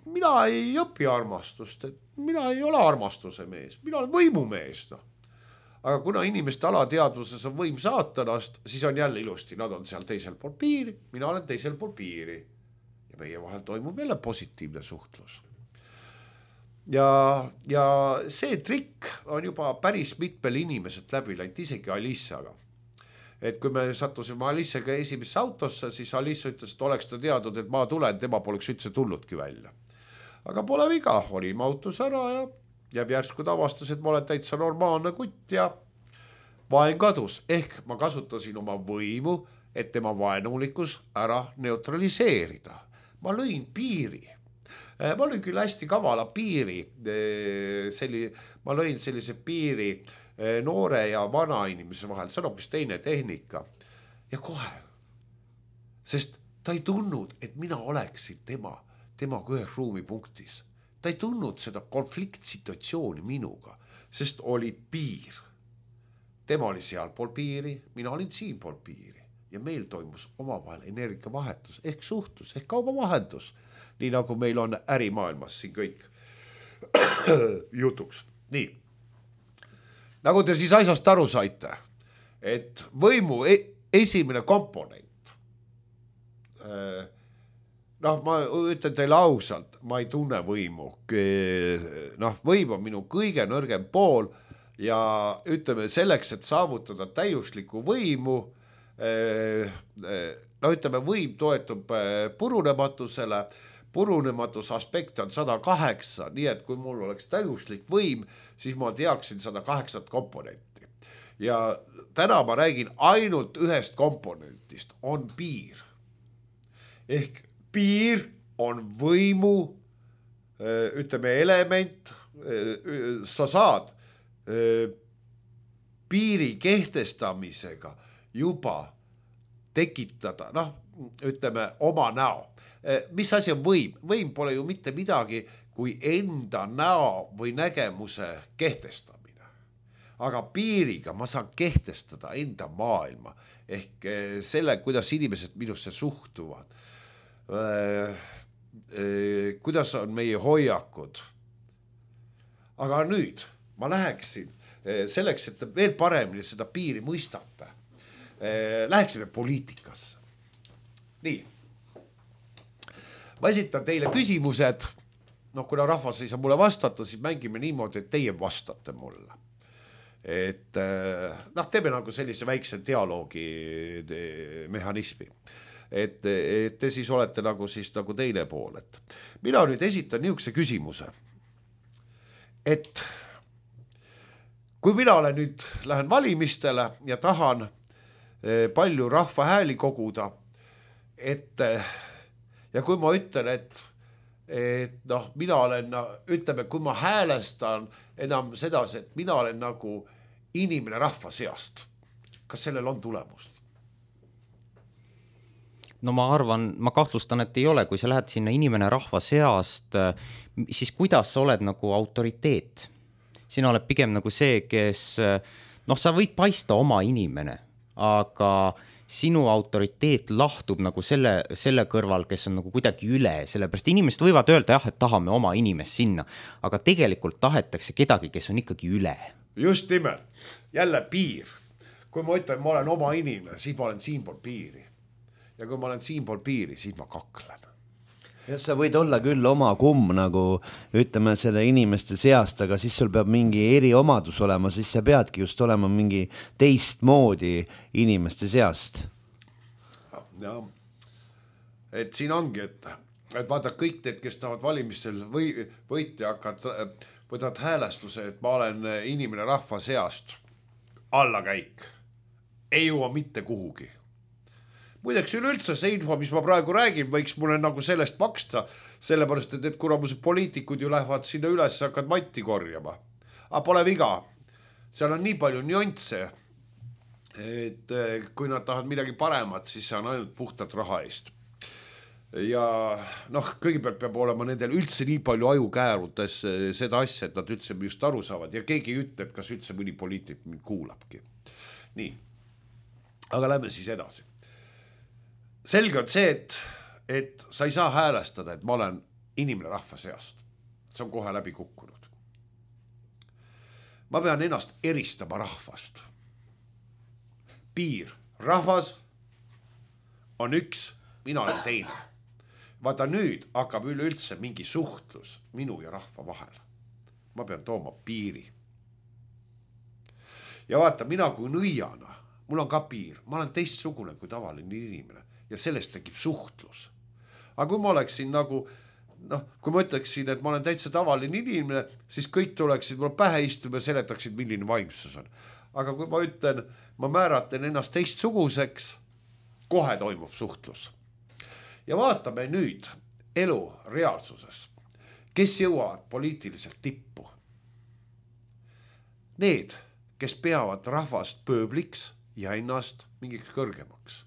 S3: mina ei õpi armastust, et mina ei ole armastuse mees, mina olen võimumees. No. Aga kuna inimeste alateadvuses on võim saatanast, siis on jälle ilusti, nad on seal teisel pool piiri, mina olen teisel pool piiri. Ja meie vahel toimub jälle positiivne suhtlus. Ja, ja see trikk on juba päris mitmel inimesed läbi läinud, isegi Alissaga. Et kui me sattusime Alissaga esimesse autosse, siis Alissa ütles, et oleks ta teadnud, et ma tulen, tema poleks üldse tulludki välja. Aga pole viga, olime autos ära ja jääb järsku tavastas, et ma olen täitsa normaalne kutt ja vaen kadus. Ehk ma kasutasin oma võimu, et tema vaenulikus ära neutraliseerida. Ma lõin piiri. Ma lõin küll hästi kavala piiri. Selli, ma lõin sellise piiri noore ja vana inimese vahel. See on hoopis teine tehnika. Ja kohe. Sest ta ei tundnud, et mina oleksin tema, temaga ühes ruumipunktis. Ta ei tundnud seda konfliktsituatsiooni minuga, sest oli piir. Tema oli seal pool piiri, mina olin siin pool piiri. Ja meil toimus omavahel energiavahetus ehk suhtlus ehk kaubavahendus. Nii nagu meil on ärimaailmas siin kõik jutuks. Nii. Nagu te siis asjast aru saite, et võimu esimene komponent noh, ma ütlen teile ausalt, ma ei tunne võimu. Noh, võim on minu kõige nõrgem pool ja ütleme selleks, et saavutada täiuslikku võimu, no ütleme, võim toetub purunematusele, purunematus aspekt on sada kaheksa, nii et kui mul oleks täiuslik võim, siis ma teaksin sada kaheksa komponenti. Ja täna ma räägin ainult ühest komponentist, on piir. Ehk piir on võimu, ütleme, element, sa saad piiri kehtestamisega juba tekitada, noh, ütleme, oma näo. Mis asi on võim? Võim pole ju mitte midagi kui enda näo või nägemuse kehtestamine. Aga piiriga ma saan kehtestada enda maailma ehk selle, kuidas inimesed minusse suhtuvad. Äh, äh, kuidas on meie hoiakud. Aga nüüd ma läheksin äh, selleks, et veel paremini seda piiri mõistate. Äh, läheksime poliitikasse. Nii. Ma esitan teile küsimused. No, kuna rahvas ei saa mulle vastata, siis mängime niimoodi, et teie vastate mulle. Et noh, teeme nagu sellise väikse dialoogi mehhanismi. Et, et te siis olete nagu siis nagu teine pool. Et mina nüüd esitan niisuguse küsimuse, et kui mina olen nüüd, lähen valimistele ja tahan palju rahva hääli koguda, et ja kui ma ütlen, et, et noh, mina olen, ütleme, kui ma häälestan enam sedasi, et mina olen nagu inimene rahva seast, kas sellel on tulemust?
S2: No ma arvan, ma kahtlustan, et ei ole, kui sa lähed sinna inimene rahva seast, siis kuidas sa oled nagu autoriteet? Sina oled pigem nagu see, kes, noh, sa võid paista oma inimene, aga sinu autoriteet lahtub nagu selle, selle kõrval, kes on nagu kuidagi üle, sellepärast inimesed võivad öelda jah, et tahame oma inimest sinna, aga tegelikult tahetakse kedagi, kes on ikkagi üle.
S3: Just nimelt, jälle piir. Kui ma ütlen, ma olen oma inimene, siis ma olen siin pool piiri. Ja kui ma olen siin pool piiri, siis ma kaklen.
S1: Ja sa võid olla küll oma kumm nagu, ütleme, selle inimeste seast, aga siis sul peab mingi eriomadus olema, siis sa peadki just olema mingi teistmoodi inimeste seast.
S3: Ja, et siin ongi, et, et vaata kõik need, kes tahavad valimistel või, võitja hakkad, võtad häälestuse, et ma olen inimene rahva seast, allakäik, ei jõua mitte kuhugi. Muideks üleüldse see info, mis ma praegu räägin, võiks mulle nagu sellest maksta, sellepärast, et, et kuna mu poliitikud ju lähevad sinna üles, hakkad matti korjama. Aga pole viga, seal on nii palju nüansse, et kui nad tahavad midagi paremat, siis see on ainult puhtalt raha eest. Ja noh, kõigepealt peab olema nendel üldse nii palju aju käärutes seda asja, et nad üldse just aru saavad ja keegi ei ütle, et kas üldse mõni poliitik mind kuulabki. Nii. aga lähme siis edasi. Selge on see, et, et sa ei saa häälestada, et ma olen inimene rahva seast. See on kohe läbi kukkunud. Ma pean ennast eristama rahvast. Piir, rahvas on üks, mina olen teine. Vaata nüüd hakkab üleüldse mingi suhtlus minu ja rahva vahel. Ma pean tooma piiri. Ja vaata, mina kui nõiana, mul on ka piir, ma olen teistsugune kui tavaline inimene ja sellest tekib suhtlus. Aga kui ma oleksin nagu, noh, kui ma ütleksin, et ma olen täitsa tavaline inimene, siis kõik tuleksid mul pähe istuma ja seletaksid, milline vaimsus on. Aga kui ma ütlen, ma määratlen ennast teistsuguseks, kohe toimub suhtlus. Ja vaatame nüüd elu reaalsuses, kes jõuavad poliitiliselt tippu. Need, kes peavad rahvast pööbliks ja ennast mingiks kõrgemaks.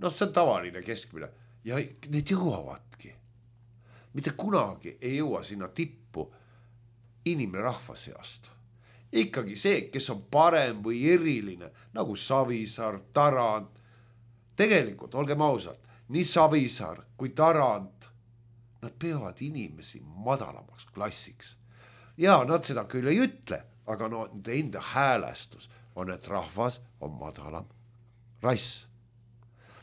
S3: No see on tavaline keskmine ja need jõuavadki. Mitte kunagi ei jõua sinna tippu inimene rahva seast. Ikkagi see, kes on parem või eriline, nagu Savisaar, Tarand. Tegelikult, olgem ausalt, nii Savisaar kui Tarand, nad peavad inimesi madalamaks klassiks. Ja nad seda küll ei ütle, aga no enda häälestus on, et rahvas on madalam rass.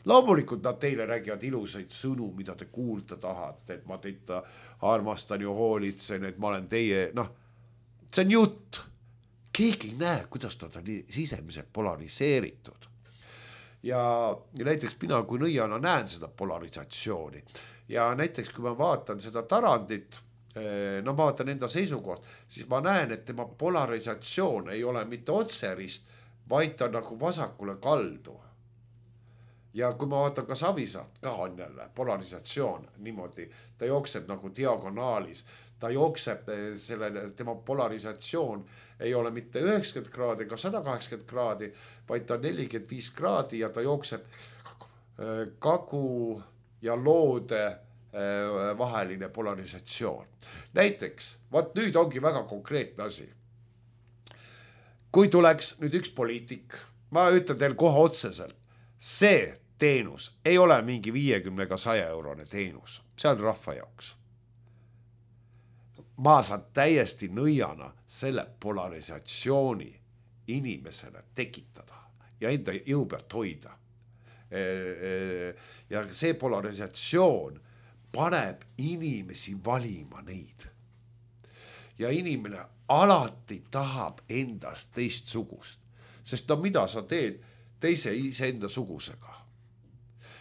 S3: Loomulikult nad teile räägivad ilusaid sõnu, mida te kuulda tahate, et ma teid armastan ja hoolitsen, et ma olen teie, noh, see on jutt. Keegi ei näe, kuidas ta on sisemiselt polariseeritud. Ja, ja näiteks mina kui nõiana näen seda polarisatsiooni. Ja näiteks kui ma vaatan seda Tarandit, no ma vaatan enda seisukoht, siis ma näen, et tema polarisatsioon ei ole mitte otserist, vaid ta nagu vasakule kaldu. Ja kui ma vaatan ka Savisaart, ka on jälle polarisatsioon niimoodi, ta jookseb nagu diagonaalis, ta jookseb selle, tema polarisatsioon ei ole mitte üheksakümmend kraadi ega sada kaheksakümmend kraadi, vaid ta on nelikümmend viis kraadi ja ta jookseb kagu ja loode vaheline polarisatsioon. Näiteks, vaat nüüd ongi väga konkreetne asi. Kui tuleks nüüd üks poliitik, ma ütlen teil kohe otseselt, see teenus ei ole mingi viiekümne ega saja eurone teenus, see on rahva jaoks. Ma saan täiesti nõiana selle polarisatsiooni inimesele tekitada ja enda jõu pealt hoida. Ja see polarisatsioon paneb inimesi valima neid. Ja inimene alati tahab endast teistsugust, sest no mida sa teed teise iseenda sugusega.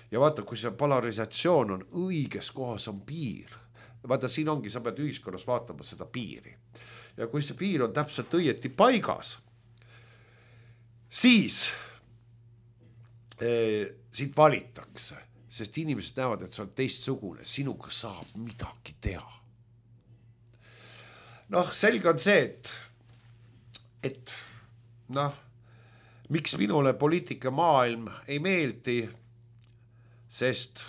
S3: Ja vaata, kui see polarisatsioon on õiges kohas, on piir. Vaata, siin ongi, sa pead ühiskonnas vaatama seda piiri. Ja kui see piir on täpselt õieti paigas, siis eh, siit valitakse, sest inimesed näevad, et see on teistsugune, sinuga saab midagi teha. Noh, selge on see, et, et noh, miks minule poliitika maailm ei meeldi, sest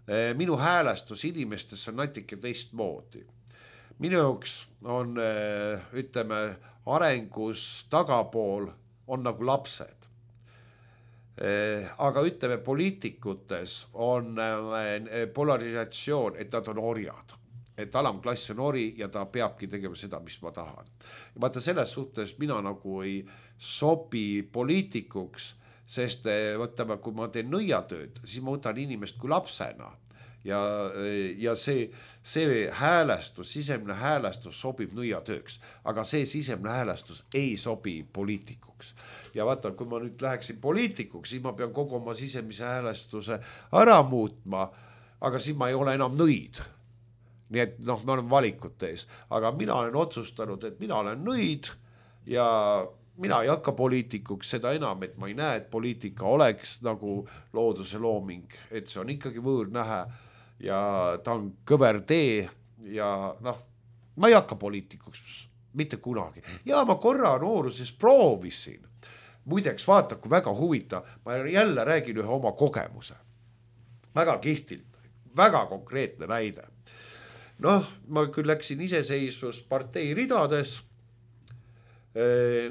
S3: eh, minu häälestus inimestes on natuke teistmoodi. Minu jaoks on, eh, ütleme, arengus tagapool on nagu lapsed. Eh, aga ütleme, poliitikutes on eh, polarisatsioon, et nad on orjad. Et alamklass on ori ja ta peabki tegema seda, mis ma tahan. Ja vaata, selles suhtes mina nagu ei sobi poliitikuks, sest võtame, kui ma teen nõiatööd, siis ma võtan inimest kui lapsena. Ja, ja see, see häälestus, sisemine häälestus sobib nõiatööks, aga see sisemine häälestus ei sobi poliitikuks. Ja vaata, kui ma nüüd läheksin poliitikuks, siis ma pean kogu oma sisemise häälestuse ära muutma, aga siis ma ei ole enam nõid. Nii et noh, me oleme valikute ees, aga mina olen otsustanud, et mina olen nõid ja mina ei hakka poliitikuks, seda enam, et ma ei näe, et poliitika oleks nagu looduse looming, et see on ikkagi võõrnähe ja ta on kõver tee ja noh, ma ei hakka poliitikuks mitte kunagi. Ja ma korra nooruses proovisin. Muideks vaata, kui väga huvita, ma jälle räägin ühe oma kogemuse. Väga kihtilt, väga konkreetne näide. Noh, ma küll läksin iseseisvus partei ridades,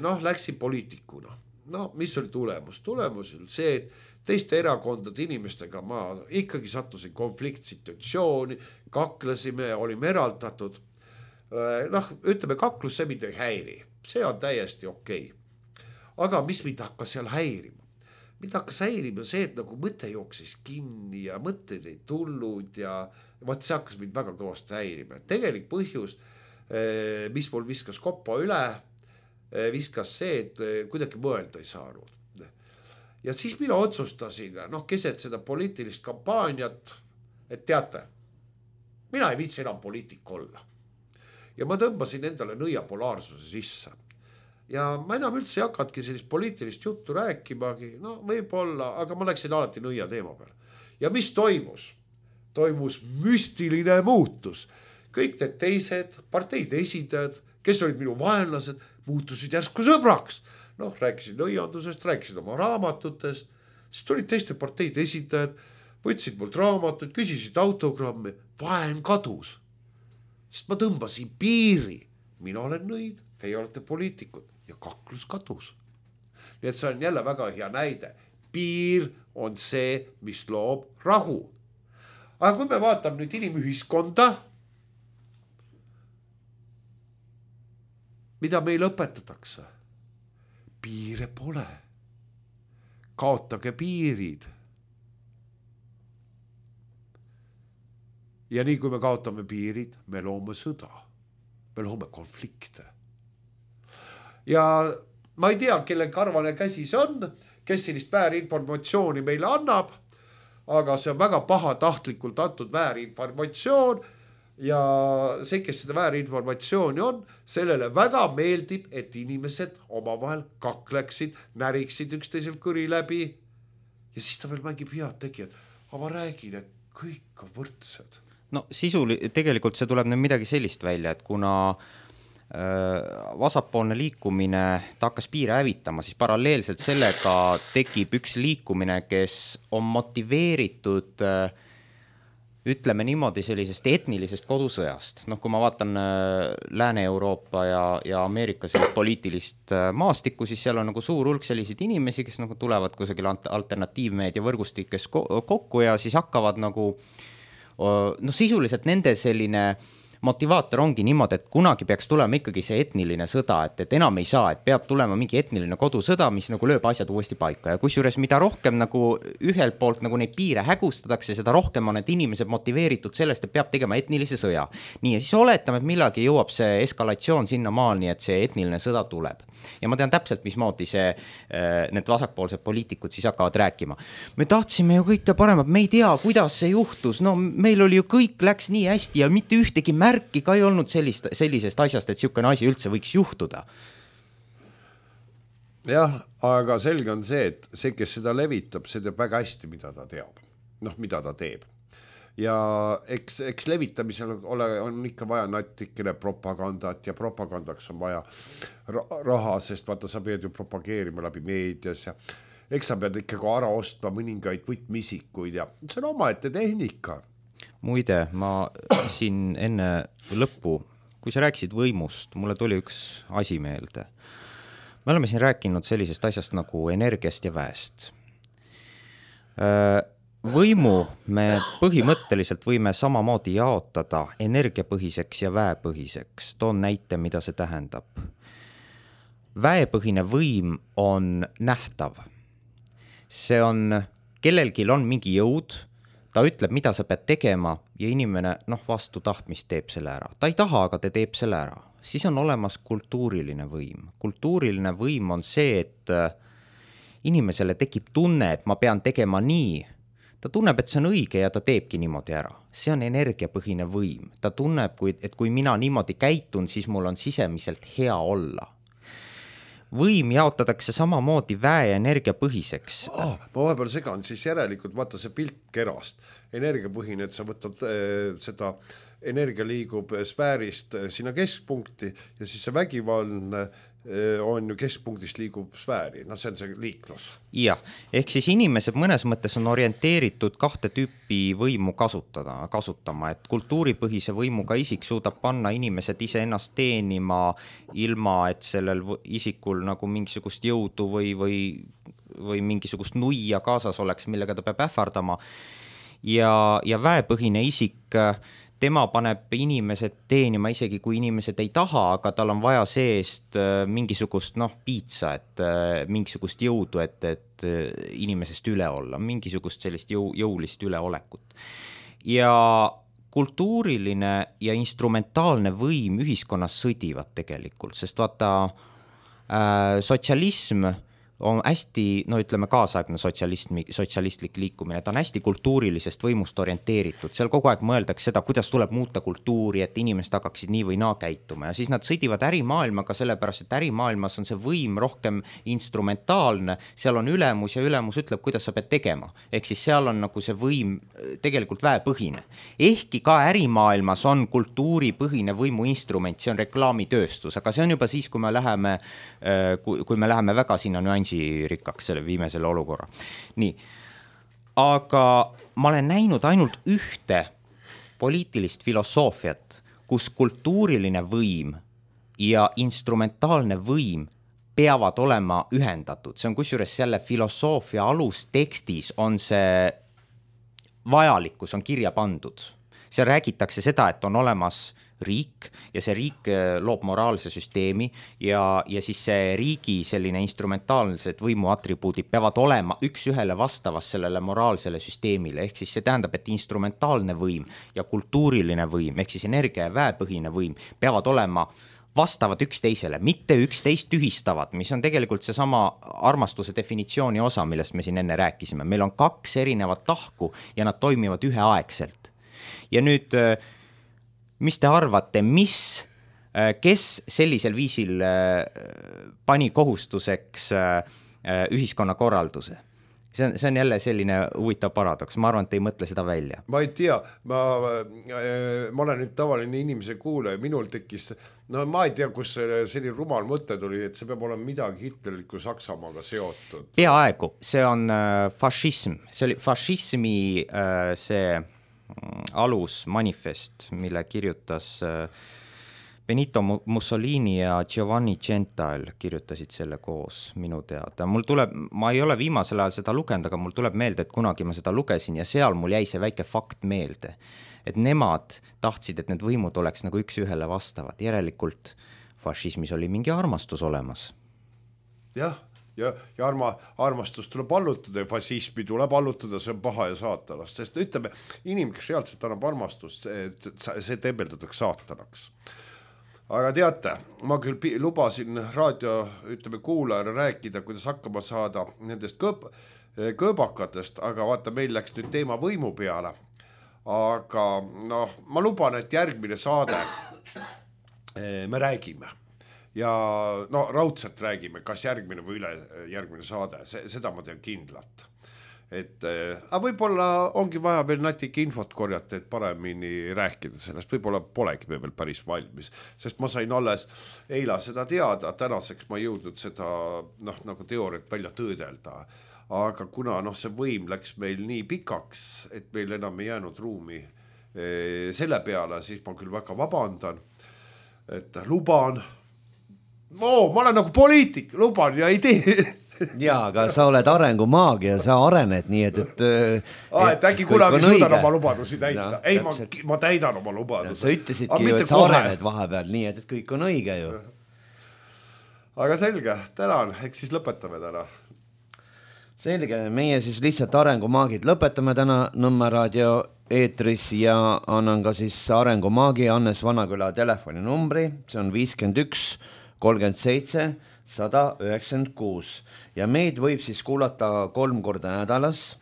S3: noh, läksin poliitikuna. no mis oli tulemus? Tulemus oli see, et teiste erakondade inimestega ma ikkagi sattusin konfliktsituatsiooni, kaklesime, olime eraldatud. Noh, ütleme, kaklus see mind ei häiri, see on täiesti okei. Aga mis mind hakkas seal häirima? Mind hakkas häirima see, et nagu mõte jooksis kinni ja mõtteid ei tulnud ja vaat see hakkas mind väga kõvasti häirima. Tegelik põhjus, mis mul viskas koppa üle, viskas see, et kuidagi mõelda ei saanud. Ja siis mina otsustasin, noh, keset seda poliitilist kampaaniat, et teate, mina ei viitsi enam poliitik olla. Ja ma tõmbasin endale nõia polaarsuse sisse. Ja ma enam üldse ei hakatki sellist poliitilist juttu rääkimagi, no võib-olla, aga ma läksin alati nõia teema peale. Ja mis toimus? Toimus müstiline muutus. Kõik need teised parteide esindajad, kes olid minu vaenlased, muutusid järsku sõbraks. Noh, rääkisin nõiandusest, rääkisin oma raamatutest, siis tulid teiste parteide esindajad, võtsid mult raamatut, küsisid autogrammi, vaen kadus. Sest ma tõmbasin piiri, mina olen nõid, teie olete poliitikud ja kaklus kadus. Nii et see on jälle väga hea näide. Piir on see, mis loob rahu. Aga kui me vaatame nüüd inimühiskonda, mida meil õpetatakse? Piire pole. Kaotage piirid. Ja nii kui me kaotame piirid, me loome sõda. Me loome konflikte. Ja ma ei tea, kelle karvane käsi see on, kes sellist väärinformatsiooni meile annab, aga see on väga pahatahtlikult antud väärinformatsioon ja see, kes seda väärinformatsiooni on, sellele väga meeldib, et inimesed omavahel kakleksid, näriksid üksteisel kõri läbi ja siis ta veel mängib head tegijad. Aga ma räägin, et kõik on võrdsed.
S2: No sisuli, tegelikult see tuleb nüüd midagi sellist välja, et kuna vasakpoolne liikumine ta hakkas piire hävitama, siis paralleelselt sellega tekib üks liikumine, kes on motiveeritud, ütleme niimoodi, sellisest etnilisest kodusõjast. Noh, kui ma vaatan Lääne-Euroopa ja, ja Ameerika poliitilist maastikku, siis seal on nagu suur hulk selliseid inimesi, kes nagu tulevad kusagil alternatiivmeedia võrgustikes kokku ja siis hakkavad nagu, no sisuliselt nende selline motivaator ongi niimoodi, et kunagi peaks tulema ikkagi see etniline sõda, et, et enam ei saa, et peab tulema mingi etniline kodusõda, mis nagu lööb asjad uuesti paika ja kusjuures mida rohkem nagu ühelt poolt nagu neid piire hägustatakse, seda rohkem on need inimesed motiveeritud sellest, et peab tegema etnilise sõja. Nii ja siis oletame, et millalgi jõuab see eskalatsioon sinna maani, et see etniline sõda tuleb. Ja ma tean täpselt, mismoodi see, need vasakpoolsed poliitikud siis hakkavad rääkima. Me tahtsime ju kõike paremat, me ei tea, kuidas see juhtus, no meil oli ju kõik läks nii hästi ja mitte ühtegi märki ka ei olnud sellist, sellisest asjast, et niisugune asi üldse võiks juhtuda.
S3: Jah, aga selge on see, et see, kes seda levitab, see teeb väga hästi, mida ta teab. Noh, mida ta teeb. Ja eks, eks levitamisel ole, on ikka vaja natikene propagandat ja propagandaks on vaja raha, sest vaata, sa pead ju propageerima läbi meedias ja eks sa pead ikkagi ära ostma mõningaid võtmisikuid ja see on omaette tehnika.
S2: Muide, ma siin enne lõppu, kui sa rääkisid võimust, mulle tuli üks asi meelde. Me oleme siin rääkinud sellisest asjast nagu energiast ja väest. Võimu me põhimõtteliselt võime samamoodi jaotada energiapõhiseks ja väepõhiseks. Toon näite, mida see tähendab. Väepõhine võim on nähtav. See on, kellelgi on mingi jõud, ta ütleb, mida sa pead tegema ja inimene noh, vastu tahtmist teeb selle ära. Ta ei taha, aga ta teeb selle ära. Siis on olemas kultuuriline võim. Kultuuriline võim on see, et inimesele tekib tunne, et ma pean tegema nii. Ta tunneb, et see on õige ja ta teebki niimoodi ära. See on energiapõhine võim. Ta tunneb, et kui mina niimoodi käitun, siis mul on sisemiselt hea olla. Võim jaotatakse samamoodi väe- ja energiapõhiseks.
S3: Oh, ma vahepeal segan, siis järelikult vaata see pilt kerast. Energiapõhine, et sa võtad äh, seda energia liigub sfäärist sinna keskpunkti ja siis see vägivaldne on ju keskpunktist liigub sfääri, no see on see liiklus.
S2: Jah, ehk siis inimesed mõnes mõttes on orienteeritud kahte tüüpi võimu kasutada, kasutama, et kultuuripõhise võimuga isik suudab panna inimesed ise ennast teenima ilma, et sellel isikul nagu mingisugust jõudu või, või, või mingisugust nuia kaasas oleks, millega ta peab ähvardama. Ja, ja väepõhine isik, tema paneb inimesed teenima isegi kui inimesed ei taha, aga tal on vaja seest mingisugust noh, piitsa, et mingisugust jõudu, et, et inimesest üle olla, mingisugust sellist jõu, jõulist üleolekut. Ja kultuuriline ja instrumentaalne võim ühiskonnas sõdivad tegelikult, sest vaata äh, sotsialism on hästi, no ütleme kaasaegne sotsialismi, sotsialistlik liikumine, ta on hästi kultuurilisest võimust orienteeritud, seal kogu aeg mõeldakse seda, kuidas tuleb muuta kultuuri, et inimesed hakkaksid nii või naa käituma ja siis nad sõdivad ärimaailmaga sellepärast, et ärimaailmas on see võim rohkem instrumentaalne, seal on ülemus ja ülemus ütleb, kuidas sa pead tegema, ehk siis seal on nagu see võim tegelikult väepõhine. Ehkki ka ärimaailmas on kultuuripõhine võimuinstrument, see on reklaamitööstus, aga see on juba siis, kui me läheme, kui, kui me läheme väga sinna nüansi rikkaks, selle viime selle olukorra. Nii, aga ma olen näinud ainult ühte poliitilist filosoofiat, kus kultuuriline võim ja instrumentaalne võim peavad olema ühendatud. See on kusjuures selle filosoofia alustekstis on see vajalikkus on kirja pandud. Seal räägitakse seda, et on olemas riik ja see riik loob moraalse süsteemi ja, ja siis see riigi selline instrumentaalsed võimuatribuudid peavad olema üks ühele vastavas sellele moraalsele süsteemile, ehk siis see tähendab, et instrumentaalne võim ja kultuuriline võim, ehk siis energia ja väepõhine võim peavad olema vastavad üksteisele, mitte üksteist tühistavad, mis on tegelikult seesama armastuse definitsiooni osa, millest me siin enne rääkisime. Meil on kaks erinevat tahku ja nad toimivad üheaegselt. Ja nüüd mis te arvate, mis, kes sellisel viisil pani kohustuseks ühiskonna korralduse? See on, see on jälle selline huvitav paradoks, ma arvan, et ei mõtle seda välja.
S3: Ma ei tea, ma, ma olen nüüd tavaline inimese kuulaja, minul tekkis, no ma ei tea, kus selline rumal mõte tuli, et see peab olema midagi hitlerliku Saksamaaga seotud.
S2: Peaaegu, see on fašism, see oli fašismi see alus manifest, mille kirjutas Benito Mussolini ja Giovanni Gentail kirjutasid selle koos minu teada. Mul tuleb, ma ei ole viimasel ajal seda lugenud, aga mul tuleb meelde, et kunagi ma seda lugesin ja seal mul jäi see väike fakt meelde, et nemad tahtsid, et need võimud oleks nagu üks ühele vastavad. Järelikult fašismis oli mingi armastus olemas.
S3: Jah. Ja, ja arma, armastus tuleb allutada ja fašismi tuleb allutada, see on paha ja saatanast, sest ütleme, inimene, kes reaalselt annab armastust, see, see tembeldatakse saatanaks. Aga teate, ma küll lubasin raadio, ütleme, kuulajale rääkida, kuidas hakkama saada nendest kõp, kõõbakatest, aga vaata, meil läks nüüd teema võimu peale. Aga noh, ma luban, et järgmine saade me räägime. Ja no raudselt räägime, kas järgmine või üle järgmine saade, see, seda ma tean kindlalt. Et, aga võib-olla ongi vaja veel natuke infot korjata, et paremini rääkida sellest, võib-olla polegi me veel päris valmis, sest ma sain alles eila seda teada, tänaseks ma jõudnud seda noh, nagu teooriat välja töödelda, aga kuna noh, see võim läks meil nii pikaks, et meil enam ei jäänud ruumi selle peale, siis ma küll väga vabandan, et luban, Oo, ma olen nagu poliitik, luban ja ei tee.
S1: Jaa, aga sa oled arengumaagia, sa arened nii, et... et,
S3: Aa, et äkki kunagi suudan oma lubadusi täita. No, ei, ma, ma täidan oma lubadusi.
S1: Sa ütlesidki ju, et sa kohe arened vahepeal nii, et, et kõik on õige ju.
S3: Aga selge, tänan, eks siis lõpetame täna.
S1: Selge, meie siis lihtsalt arengumaagid lõpetame täna Nõmme raadio eetris ja annan ka siis arengumaagi Annes Vanaküla telefoninumbri, see on viiskümmend üks kolmkümmend seitse sada üheksakümmend kuus ja meid võib siis kuulata kolm korda nädalas,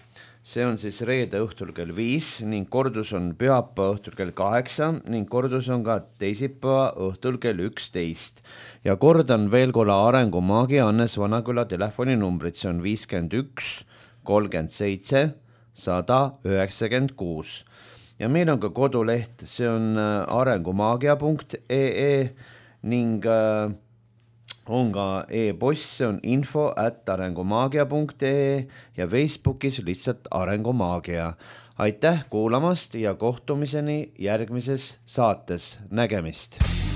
S1: see on siis reede õhtul kell viis ning kordus on pühapäeva õhtul kell kaheksa ning kordus on ka teisipäeva õhtul kell üksteist ja kordan veel korra arengumaagi Annes Vanaküla telefoninumbrit, see on viiskümmend üks kolmkümmend seitse sada üheksakümmend kuus ja meil on ka koduleht, see on arengumaagia punkt ee ning on ka e-post, see on info at arengumaagia punkt ee ja Facebookis lihtsalt Arengumaagia. Aitäh kuulamast ja kohtumiseni järgmises saates. Nägemist!